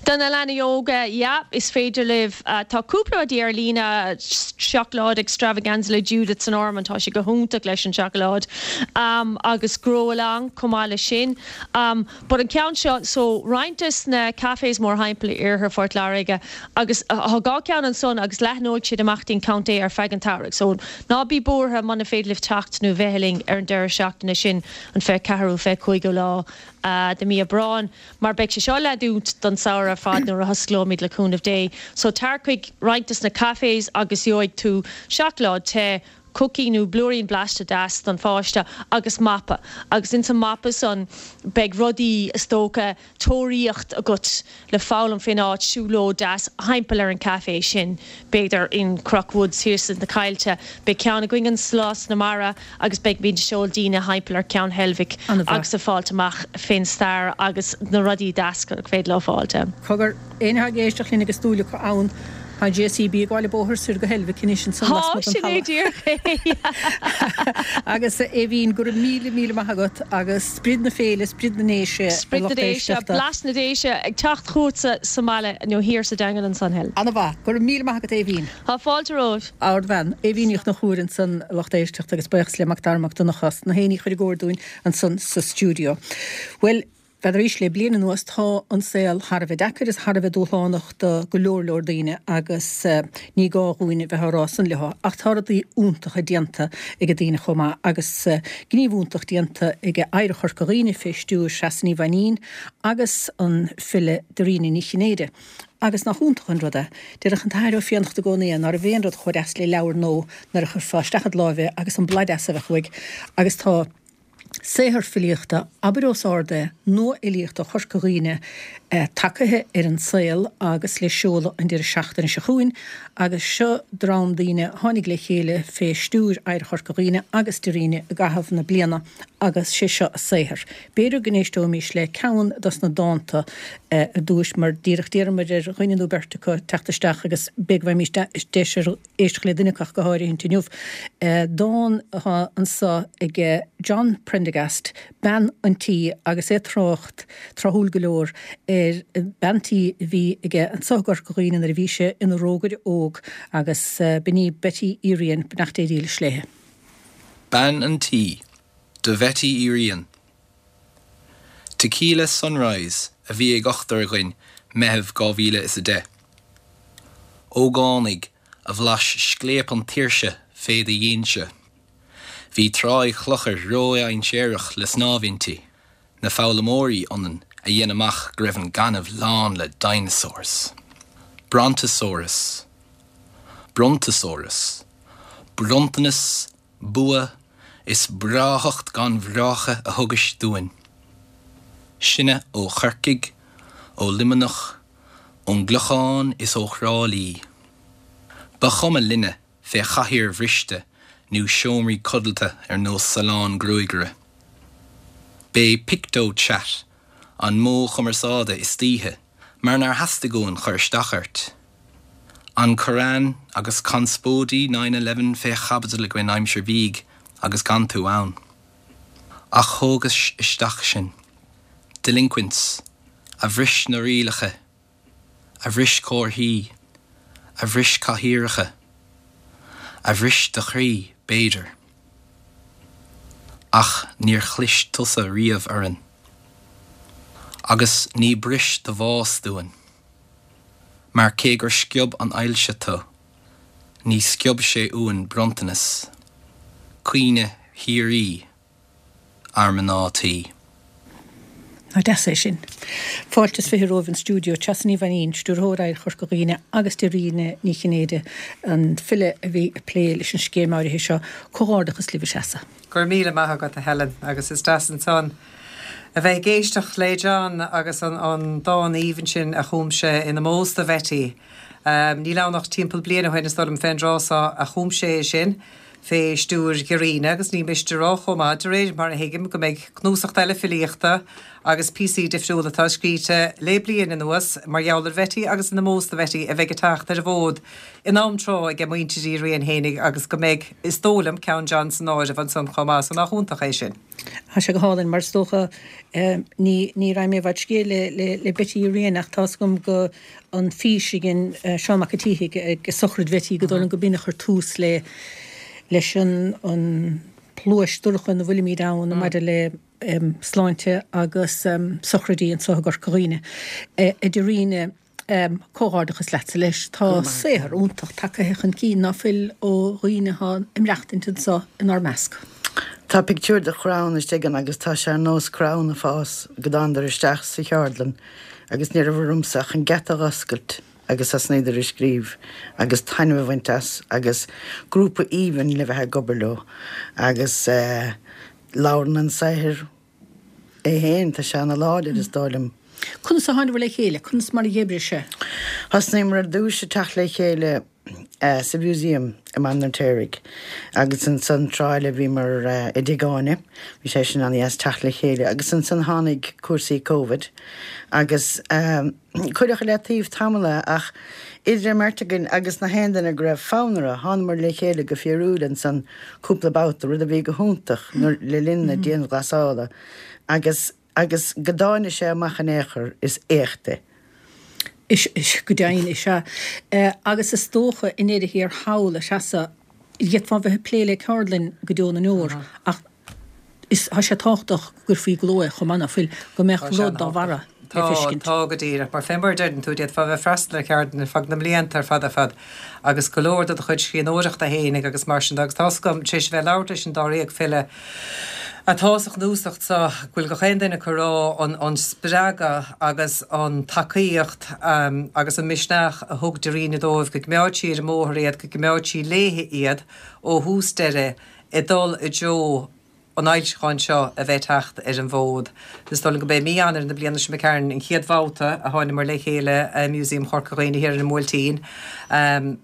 Do na leanaí óga, yeah, is féidir libh uh, tá cúpla rudaí ar líne seacláid extravaganza le Judith san Ormond tá sé go hiontach leis an seacláid um, agus grow along chomh maith leis sin. Um, but an ceann seo so roinnt des na cafés mórthimpeall iarthar Phort Láirge agus uh, dhá ceann ansan agus leathnóidh siad amach an contae ar feadh an tsamhraidh. So ná bí buartha muna féidir libh teacht nó bheith linn ar an deireadh seachtaine sin an fiche ceathair fiche cúigiú lá uh, de mí Aibreáin, mar beidh sé seo le dúnadh don samhradh ar fad nuair a hosclóimid le cúnamh Dé. So tar chuig roinnt des na cafés agus gheobhaidh tú seacláid te cookie nó blúirín blasta deas don pháiste agus mapa. Agus in san mapa san beidh rudaí is dócha tóraíocht agat le foghlaim faoin áit siúlóid deas thimpeall ar an café sin b'fhéidir in Croc Woods thiar sna Coillte, Beidh ceann againn an Slás na Mara agus beidh muid ag seoladh daoine thimpeall ar ceann Heilbhic agus ag fáilt amach fén stair agus na rudaí deas gur féidir leo fáilte. Cogar aon ag éisteacht linn agus dúil acu ann Tá JCB ag gabháil an bóthar soir go Heilbhic anois ansan Tá sin é díreach. Agus Aoibhín go raibh míle míle maith agat agus sprid na féile, sprid na nDéise Sprid na Déise, blas na Déise ag teacht chugatsa sa mbaile nó thiar sa Daingean ansan Helen. An-mhaith, go raibh míle maith agat Aoibhín. Tá fáilte romhat. Ardbhean, Aoibhín Ní Chonchúir ansan a lucht éisteachta agus buíochas le Mac Dara Mac Donncha as na héin a chur i gcóir dúinn ansan sa stiúideo. Bhuel, B'fhéidir arís le bliain anuas tá an saol thar a bheith deacair is thar a bheith dúshlánach do go leor leor daoine agus ní gá dhúinn bheith á rá san leo ach tá rudaí iontacha déanta ag daoine chomh maith agus gníomh iontach déanta ag Oidhreacht Chorca Dhuibhne fé stiúir Treasa Ní Mhainnín agus an file Dairena Ní Chinnéide. Agus nach iontach an rud é, déarfadh an tAthair Ó Fiannachta i gcónaí ná raibh aon rud chomh deas le leabhar nua nuair a chuirfeá isteach id láimh é agus an blas deas a bheadh uaidh agus tá Saothar filíochta, abair os ard é, nua-fhilíochta Chorca Dhuibhne tagaithe ar an saol agus le seoladh an deireadh seachtaine seo chugainn agus seo dream daoine a tháinig le chéile fé stiúir Oidhreacht Chorca Dhuibhne agus Dairena i gcaitheamh na bliana agus sé seo a saothar. B'fhéidir go n-éisteoimís le ceann dos na dánta ar dtúis mar díreach d'iarramar ar dhuine nó beirt acu teacht isteach agus b'fhéidir go bhfaighimís deis ar éisteacht le duine acu ach go háirithe inniu. Dán atá anso ag John Prendergast, Bean an Tí, agus é ag trácht, tráthúil go leor, ar bean tí a bhí aige anso i gCorca Dhuibhne nuair a bhí sé ina rógaire óg agus b'in í Betty Uí Riain, beannacht Dé dhílis léi. Bean an Tí, do Bhetty Uí Riain. Tequila Sunrise a bhí ag ochtar againn Meitheamh dhá mhíle is a deich. Ógánaigh a bhlais scléip an tsaoirse fé do dhéinse. Bhí Tráigh Chlochair ródhainséarach le snámh inti, na foghlaimeoirí ionainn a dhein amach go raibh an gaineamh lán le dinosaurs. Brontosaurus. Brontosaurus. Bronntanas, bua, is breáthacht gan bhreácha a thugais dúinn. Sinne ó Chorcaigh, ó Luimneach, ón gClochán is ó Thrá Lí. Ba chuma linne fé chathaoir bhriste nó seomraí codlata ar nós salon gruagaire. B'é PictoChat an modh cumarsáide istoíche mar nár theastaigh uainn cur isteach ort. An Koran agus conspóidí nine eleven fé chaibidil againn aimsir bhídh agus gan tú ann. Ach thógais isteach sinn. Delinquents, a bhris na rialacha, a bhris comharthaí, a bhris cathaoireacha, a bhris do chroí, b'fhéidir. Ach níor chlis tusa riamh orainn. Agus ní bris do bhás dúinn. Mar cé gur sciob an ailse tú, ní sciob sé uainn bronntanas, caoineadh shíoraí ár mná tí. Nach deas é sin. Fáilte is fiche romhaibh an stiúideo, Treasa Ní Mhainnín, Stiúrthóir Oidhreacht Chorca Dhuibhne agus Dairena Ní Chinnéide, an file a bhí ag plé leis an scéim áirithe seo. Comhghairdeachas libh a Threasa. Go raibh míle maith agat a Helen agus is deas ansan a bheith ag éisteacht le John agus an an dán aoibhinn sin a chum sé in ómós do Bhetty. Um, níl ann ach timpeall bliain ó shin is dóigh liom fén dtráth so a chum sé é sin. fé stiúir Dháiríne agus ní miste a rá chomh maith de réir mar a thuigim go mbeidh cnuasach eile filíochta agus píosaí difriúla atá scríte le bliain anuas mar gheall ar Bheití agus in ómós do Bheití a bheidh ag teacht ar an bhfód in am tráth ag muintir Uí Riain fhéinig agus go mbeidh is dóigh liom ceann John san áireamh ansan chomh maith so nach iontach é sin. Tá sé go hálainn mar is dócha ní ní raibh mé i bhfad scéal le le le Betty Uí Riain ach tá's agam go an fís a dhein Seán Mac an tSíthigh ag sochraid Bheití go dóigh liom go b'in a chuir tús le leis an an pluais dorcha ina bhfuilimid ann maidir le sláinte agus sochraidí anseo i gCorca Dhuibhne. A Dháiríne, comhghairdeachas leatsa leis. Tá saothar iontach tagtha chun cinn ná fuil ó dhaoine atá ag maireachtaint anseo inár measc. Tá pictiúr de chrann istigh ann agus tá sé ar nós crann ag fás go dtánadar isteach sa cheardlann agus ní raibh ormsa ach an geata a dh'oscailt agus thosnaíodar ag scríobh agus taitneamh a bhaint as agus grúpa aoibhinn le bheith ag obair leo agus labhrann an saothar é féin, tá sé ana láidir is dóigh liom. Conas a tháinabhair le chéile? Conas mar a d'oibrigh sé? Thosnaíomar ar dtús ag teacht le chéile sa Mhúsaem i mBaile an Fheirtéaraigh agus ansan tráth eile bhíomar i dTigh Áine, bhí sé sin an-dheas teacht le chéile agus ansan tháinig cúrsaí Covid agus cuireadh i leataobh tamall é ach idir an mbeirt againn agus na haon duine go raibh fonn orthu, thánamar le chéile go fíorúil ansan cúpla babhta, rud a bhí go hiontach nuair le linn na dianghlasála agus agus go dtáinig sé amach in aon chor, is éacht é. Is, is, go deimhin, is ea. Agus is dócha, i ndeireadh thiar thall, a Threasa, d'fhéadfá bheith ag plé le ceardlann go deo na ndeor, ach is, tá sé tábhachtach go gcuirfí i gcló é chomh maith, ná fuil, go mbeadh rud dá bharra le Tá, feiscint. tá go díreach. Mar fé mar a deireann tú, d'fhéadfá bheith ag freastal ar cheardlann ar feadh na mblianta ar fad ar fad agus go leor de do chuid scríbhneoireachta fhéinig agus mar sin de agus tá's agam, tar éis a bheith ag labhairt leis an dáréag file, atá sa chnuasach so, go bhfuil gach aon duine acu ag rá an an spreagadh agus an tacaíocht agus an misneach a thug Dairena dóibh, go gcoimeád sí ar an mbóthar iad, go gcoimeád sí léi iad ó thús deireadh ag dul i dtreo an fhoilseacháin seo a bheith ag teacht ar an bhfód. Is dóigh liom go b'é mí Eanáir na bliana seo imigh tharainn an chéad bhabhta a thánamar le chéile i Museum Chorca Dhuibhne thiar ar an mBuailtín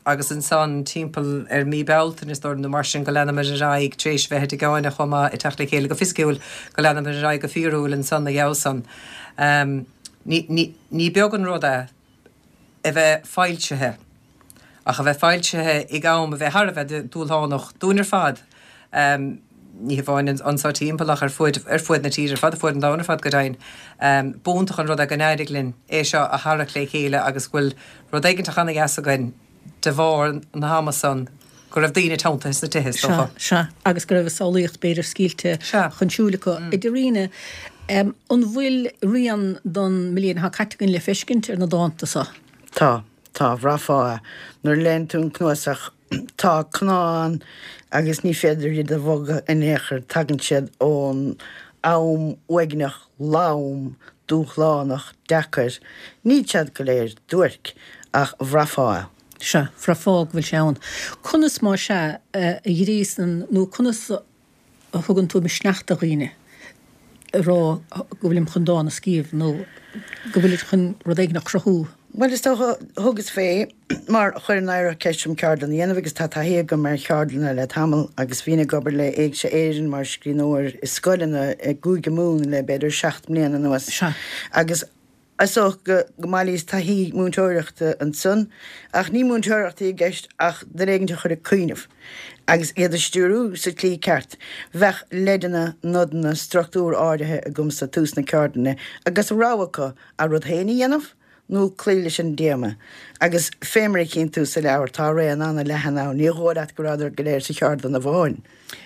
agus ansan timpeall ar mí Bealtaine is dóigh liom nó mar sin go leanamar ar aghaidh tar éis bheith i dTigh Áine chomh maith ag teacht le chéile go fisiciúil go leanamar ar aghaidh go fíorúil ansan ina dhiaidh san. Ní, ní, ní beag an rud é a bheith foilsithe ach a bheith foilsithe ag am a bheith thar a bheith dúshlánach dúinn ar fad. Ní hamháin anseo timpeall ach ar fuaid, ar fuaid na tíre ar fad, ar fuaid an domhain ar fad go deimhin. B'iontach an rud é go n-éirigh linn é seo a tharrac le chéile agus go bhfuil rud éigin ana-dheas againn de bharr na hama san go raibh daoine teanntaithe sna tithe, is dócha. Sea, sea, agus go raibh a samhlaíocht b'fhéidir scaoilte chun siúil acu. A Dháiríne, an bhfuil rian don mbliain atá caite againn le feiscint ar na dánta seo? Tá, tá, bhraithfeá é nuair a léann tú an cnuasach. Tá cnámha ann agus ní féidir iad a bhogadh in aon chor, tagann siad ón am uaigneach, lom, dúshlánach, deacair. Níl siad go léir duairc, ach bhraithfeá é. Sea, bhraithfeá go bhfuil sé ann. Conas, más ea, a ghríosann nó conas a thugann tú misneach do dhaoine a rá go bhfuilim chun dán a scríobh nó go bhfuilid chun rud éigin a chruthú? Bhuel, is dócha, thugas fé mar chuir an Oidhreacht ceist orm ceardlann a dhéanamh agus tá taithí agam ar cheardlanna le tamall agus bhínn ag obair le Éigse Éireann mar scríbhneoir i scoileanna i gCúige Mumhan le b'fhéidir seacht mbliana anuas agus is dócha go mbailíos taithí múinteoireachta ansan ach ní múinteoireacht a bhí i gceist ach duine éigin a chur ag cuimhneamh agus iad a stiúrú sa tslí ceart. Bheadh leideanna, nodanna, struchtúr áirithe agamsa tús na ceardlainne agus rogha acu a rud féin a dhéanamh nó cloí leis an dtéama. Agus fé mar a chíonn tú sa leabhar, tá raon an-leathan ann, ní dhóigh leat go rabhadar go léir sa cheardlann amháin.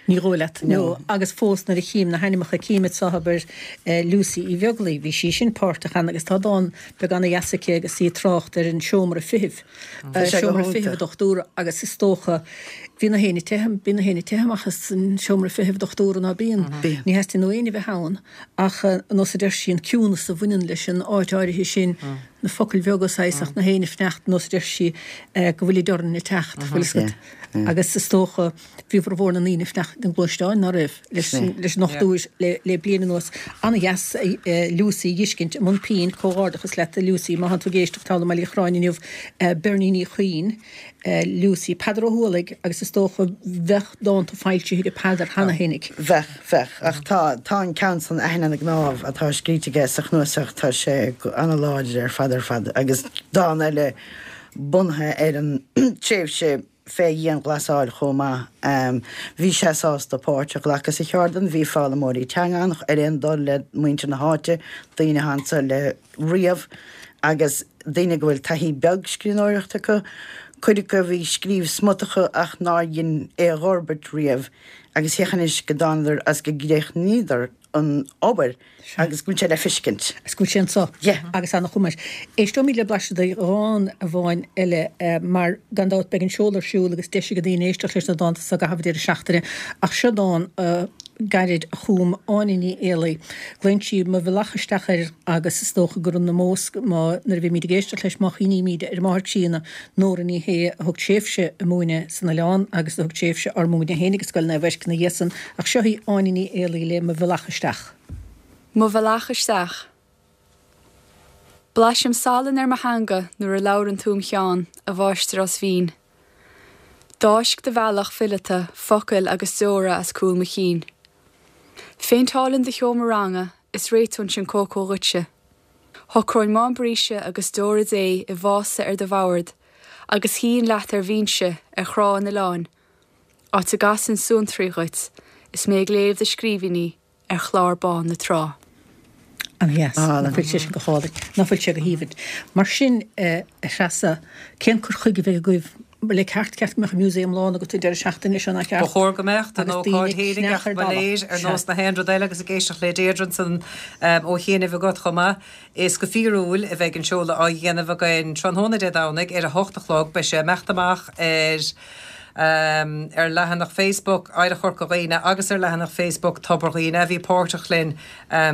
Ní dhóigh leat, no. Agus fós nuair a chím na hainmneacha, cím anseo, abair, Lucy Uí Bheaglaoi, bhí sí sin páirteach ann agus tá dán beag ana-dheas aici agus í ag trácht ar an seomra feithimh, seomra feithimh dochtúra agus is dócha, bhí na héinne ag teitheadh, bíonn na héinne ag teitheadh amach as an seomra feithimh dochtúra ná bíonn? Ní theastaíonn ó éinne bheith ann ach nós a deir sí, an ciúnas a bhaineann leis an áit áirithe sin, na focail bheaga saghas ach na héin ag fanacht nós a deir sí go bhfuilid orainn ag teacht, bhfuil fhios agat. Agus is dócha bhí formhór na ndaoine ag fanacht na ngluaisteáin, ná raibh, leis leis an ochtú uair le le bliain anuas. Ana-dheas Lucy a dh'fheiscint i mbun pinn, comhghairdeachas leat a Lucy, má thánn tú ag éisteacht thall i mBaile Uí Chorráin inniu, Bernie Ní Chuinn, Lucy, Peadar Ó hUallaigh agus is dócha bheadh dánta foilsithe ag Peadar cheana fhéinig. Bheadh, bheadh, ach tá, tá an ceann san Aithne na gCnámh atá scríte aige sa chnuasach, tá sé ana-láidir ar fad ar fad agus dán eile bunaithe ar an tréimhse fé dhianghlasáil chomh maith. Bhí sé sásta páirt a ghlacadh sa cheardlann, bhí foghlaimeoirí teanga ann ar aon dul le muintir na háite, daoine atá anso le riamh agus daoine go bhfuil taithí beag scríbhneoireachta acu, cuid acu a bhí ag scríobh smut acu ach nár dhein é a dh'fhorbairt riamh agus féach anois go dtánadar agus go gcríochnaíodar an obair agus go bhfuil sé le feiscint. Agus go bhfuil sé anso. Yeah. Agus ana-chuma air. Éisteoimid le blaiseadh de dhán amháin eile mar gan dabht beidh an seoladh ar siúl agus deis ag daoine éisteacht leis na dánta so i gcaitheamh an deireadh seachtaine ach seo dán gairid a chum Áine Ní Éalaí. Glaonn sí 'Mo Bhealach Isteach' air agus is dócha gur in ómós, má, nuair a bhímid ag éisteacht leis, má chuimhnímid ar an máthair chríonna, Nóra Ní Shé, a thug tréimhse ag múineadh san oileán agus a thug tréimhse ár múineadh féinig i Scoil Naomh Eirc ina dhiaidh san. Ach seo í Áine Ní Éalaí le 'Mo Bhealach Isteach'. Mo Bhealach Isteach. Blaisim salann ar mo theanga nuair a labhrann tú im cheann, a mháistreás mhín. D'fháisc do bhealach fileata focail agus deora as cúl mo chinn. Phéinteálainn do sheomra ranga is réiteoinnse an cócó dhuitse. Shocróinn mám bríste agus deora Dé i vása ar do bhord agus shuífinn leat ar bhinse ar thrá an oileáin, áit a gcasfainn suantraí dhuit is mé ag léamh do scríbhinní ar chlár bán na trá. Ana-dheas. Nach bhfuil sé sin go hálainn? Nach bhfuil sé go haoibhinn? Mar sin, a Threasa, cén cur chuige a bheidh agaibh le ceart, ceart go mbeadh an museum lán agat an deireadh seachtaine seo, nach ceart? Ba chóir go mbeadh, don Agus ócáid daoine ag fhéinig cneach ach ar ba dalladh. léir, ar Sea. nós na haon rud eile agus ag éisteacht le Deirdre ansan ó chianaibh agat chomh maith, is go fíorúil a bheidh an seoladh á dhéanamh againn tráthnóna Dé Domhnaigh ar a hocht a chlog. Beidh sé ag imeacht amach ar ar leathanach Facebook Oidhreacht Chorca Dhuibhne agus ar leathanach Facebook Tobar Dhuibhne a bhí páirteach linn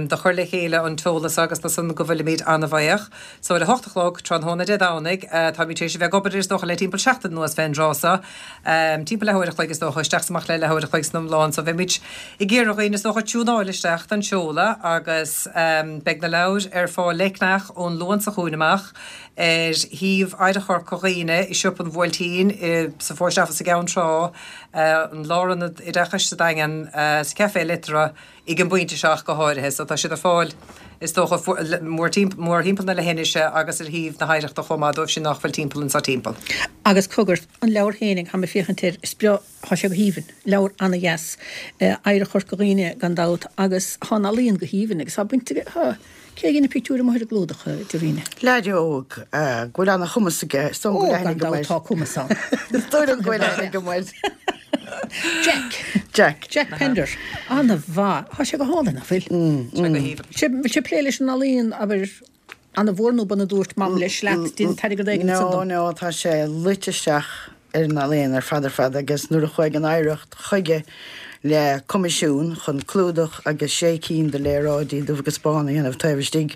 do chur le chéile an t-eolas agus do san go bhfuilimid an-bhuíoch. So ar a hocht a chlog tráthnóna Dé Domhnaigh, táimid tar éis a bheith ag obair is dócha le timpeall seachtain anuas fén dtráth so, timpeall leathuair a chloig is dócha, isteach is amach le leathuair a chloig san iomlán. So bheimid ag iarraidh dhaoine is dócha tiúnáil isteach don seoladh agus beidh na leabhair ar fáil le ceannach ón Luan seo chugainn amach. ar shuíomh Oidhreacht Chorca Dhuibhne i Siopa an Bhuailtín, sa Post Office i gCeann Trá, an Lárionad Oideachais sa Daingean, sa Café Liteartha ag an bpointe seo ach go háirithe. So tá siad ar fáil is dócha mórthimpeall na leithinise agus ar shuíomh na hOidhreachta chomh maith dóibh sin nach bhfuil timpeall anseo timpeall. Agus cogar, an leabhar féinig, tá mé ag féachaint air, is breá, tá sé go haoibhinn, leabhar ana-dheas, Oidhreacht Chorca Dhuibhne gan dabht agus tá an ealaíon go haoibhinn agus tá baint aige, tá. Cé a dhein na pictiúir amuigh ar an gclúdach, a Deirdre? Leaid óg go bhfuil ana-chumas aige. Is dóigh liom go Ó, bhfuil aithne gan agam dabht air. tá cumas ann. Is dóigh liom go bhfuil aithne agam air. Jack. Jack. Jack Pender. Ana-mhaith. Tá sé go hálainn, nach bhfuil? Tá sé go haoibhinn. Sé, bhfuil sé ag plé leis an ealaíon, abair, ana-mhór nó b'ionann a dúirt Mam leis leat, déan t-airgead éigin ansan No, dom. no, tá sé luite isteach ar an ealaíon ar fad ar fad agus nuair a chuaigh an Oidhreacht chuige le coimisiún chun clúdach agus sé cinn de léaráidí dubh agus bán a dhéanamh taobh istigh.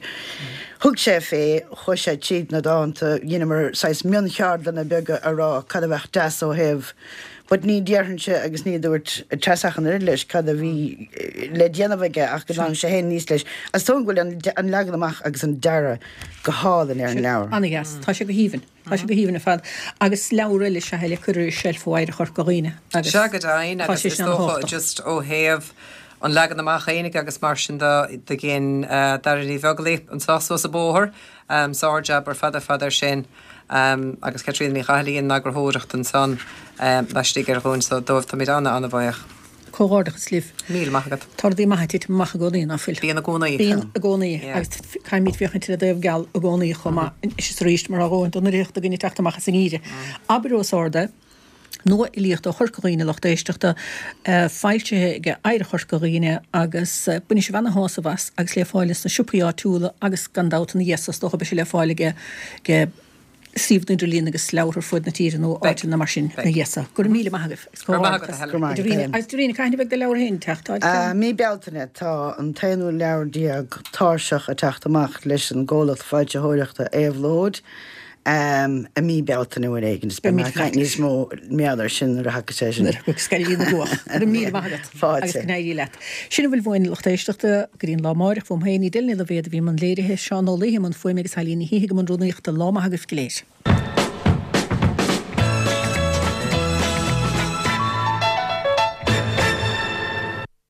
Thug sé fé, chuaigh sé tríd na dánta, dheineamar saghas mioncheardlanna beaga a rá cad a bheadh deas ó thaobh but ní déarfainnse agus ní dúirt Treasa ach an oiread leis cad a bhí le déanamh aige ach go dtáinig sé féin aníos leis. Is dóigh go bhfuil an leagan amach agus an dearadh go hálainn ar an leabhar. Ana-dheas. Tá sé go haoibhinn. Tá sé go haoibhinn ar fad. Agus leabhar eile is ea é le cur ar an tseilf ó Oidhreacht Chorca Dhuibhne agus Sea go deimhin tá agus sé is sin dócha ana-thábhachtach. just ó thaobh an leagan amach fhéinig agus mar sin de do dhein Daire Ní Bheaglaoich anseo suas an bóthar, sár-jab ar fad ar fad air sin agus Caitríona Ní Chathail a dhein an eagarthóireacht ansan laistigh ar dhúinn so dóibh táimid ana-ana-bhuíoch. Comhghairdeachas libh. Míle maith agat. Tá rudaí maithe ag titim amach i gcónaí, ná fuil? Bíonn i gcónaí. Bíonn i gcónaí Yeah. agus caithfimid féachaint ar an dtaobh geal i gcónaí chomh maith anois is arís mar tá a dhóthain den fhraoch againn ag teacht amach as an ngeimhreadh. Abair os ard é, Nua-fhilíocht ó Chorca Dhuibhne, lucht éisteachta, foilsithe ag Oidhreacht Chorca Dhuibhne agus bainfidh sibh ana-shásamh as agus le fáil sna siopaí áitiúla agus gan dabht ina dhiaidh so is dócha beidh sé le fáil ag suíomh an idirlín agus leabhair ar fud na tíre nó áiteanna mar sin ina dhiaidh so. Go raibh míle maith agaibh. Go raibh maith agat, a Helen. Go raibh maith agat, Helen. Agus Darina, cathain a bheidh do leabhar féin ag teacht? Mí Bealtaine tá an t-aonú leabhar déag Tairseach ag teacht amach leis an gcomhlacht foilsitheoireachta Éabhlóid i mí Bealtaine uair éigin. Is beidh mé ag caint níos mó mar gheall air sin nuair a thagann sé sin. Nuair a thagann Sceilg na gCuach. Go raibh míle maith agat. Fáilte. Agus go n-éirí leat. Sin a bhfuil uainn, lucht éisteachta, go dtí an lá amáireach. Uaim féin, Edel Ní Loibhéad a bhí i mbun léirithe, Seán Ó Laoithe i mbun fuaime agus Eilín Ní Shíthigh i mbun rúnaíochta. Lá maith agaibh go léir.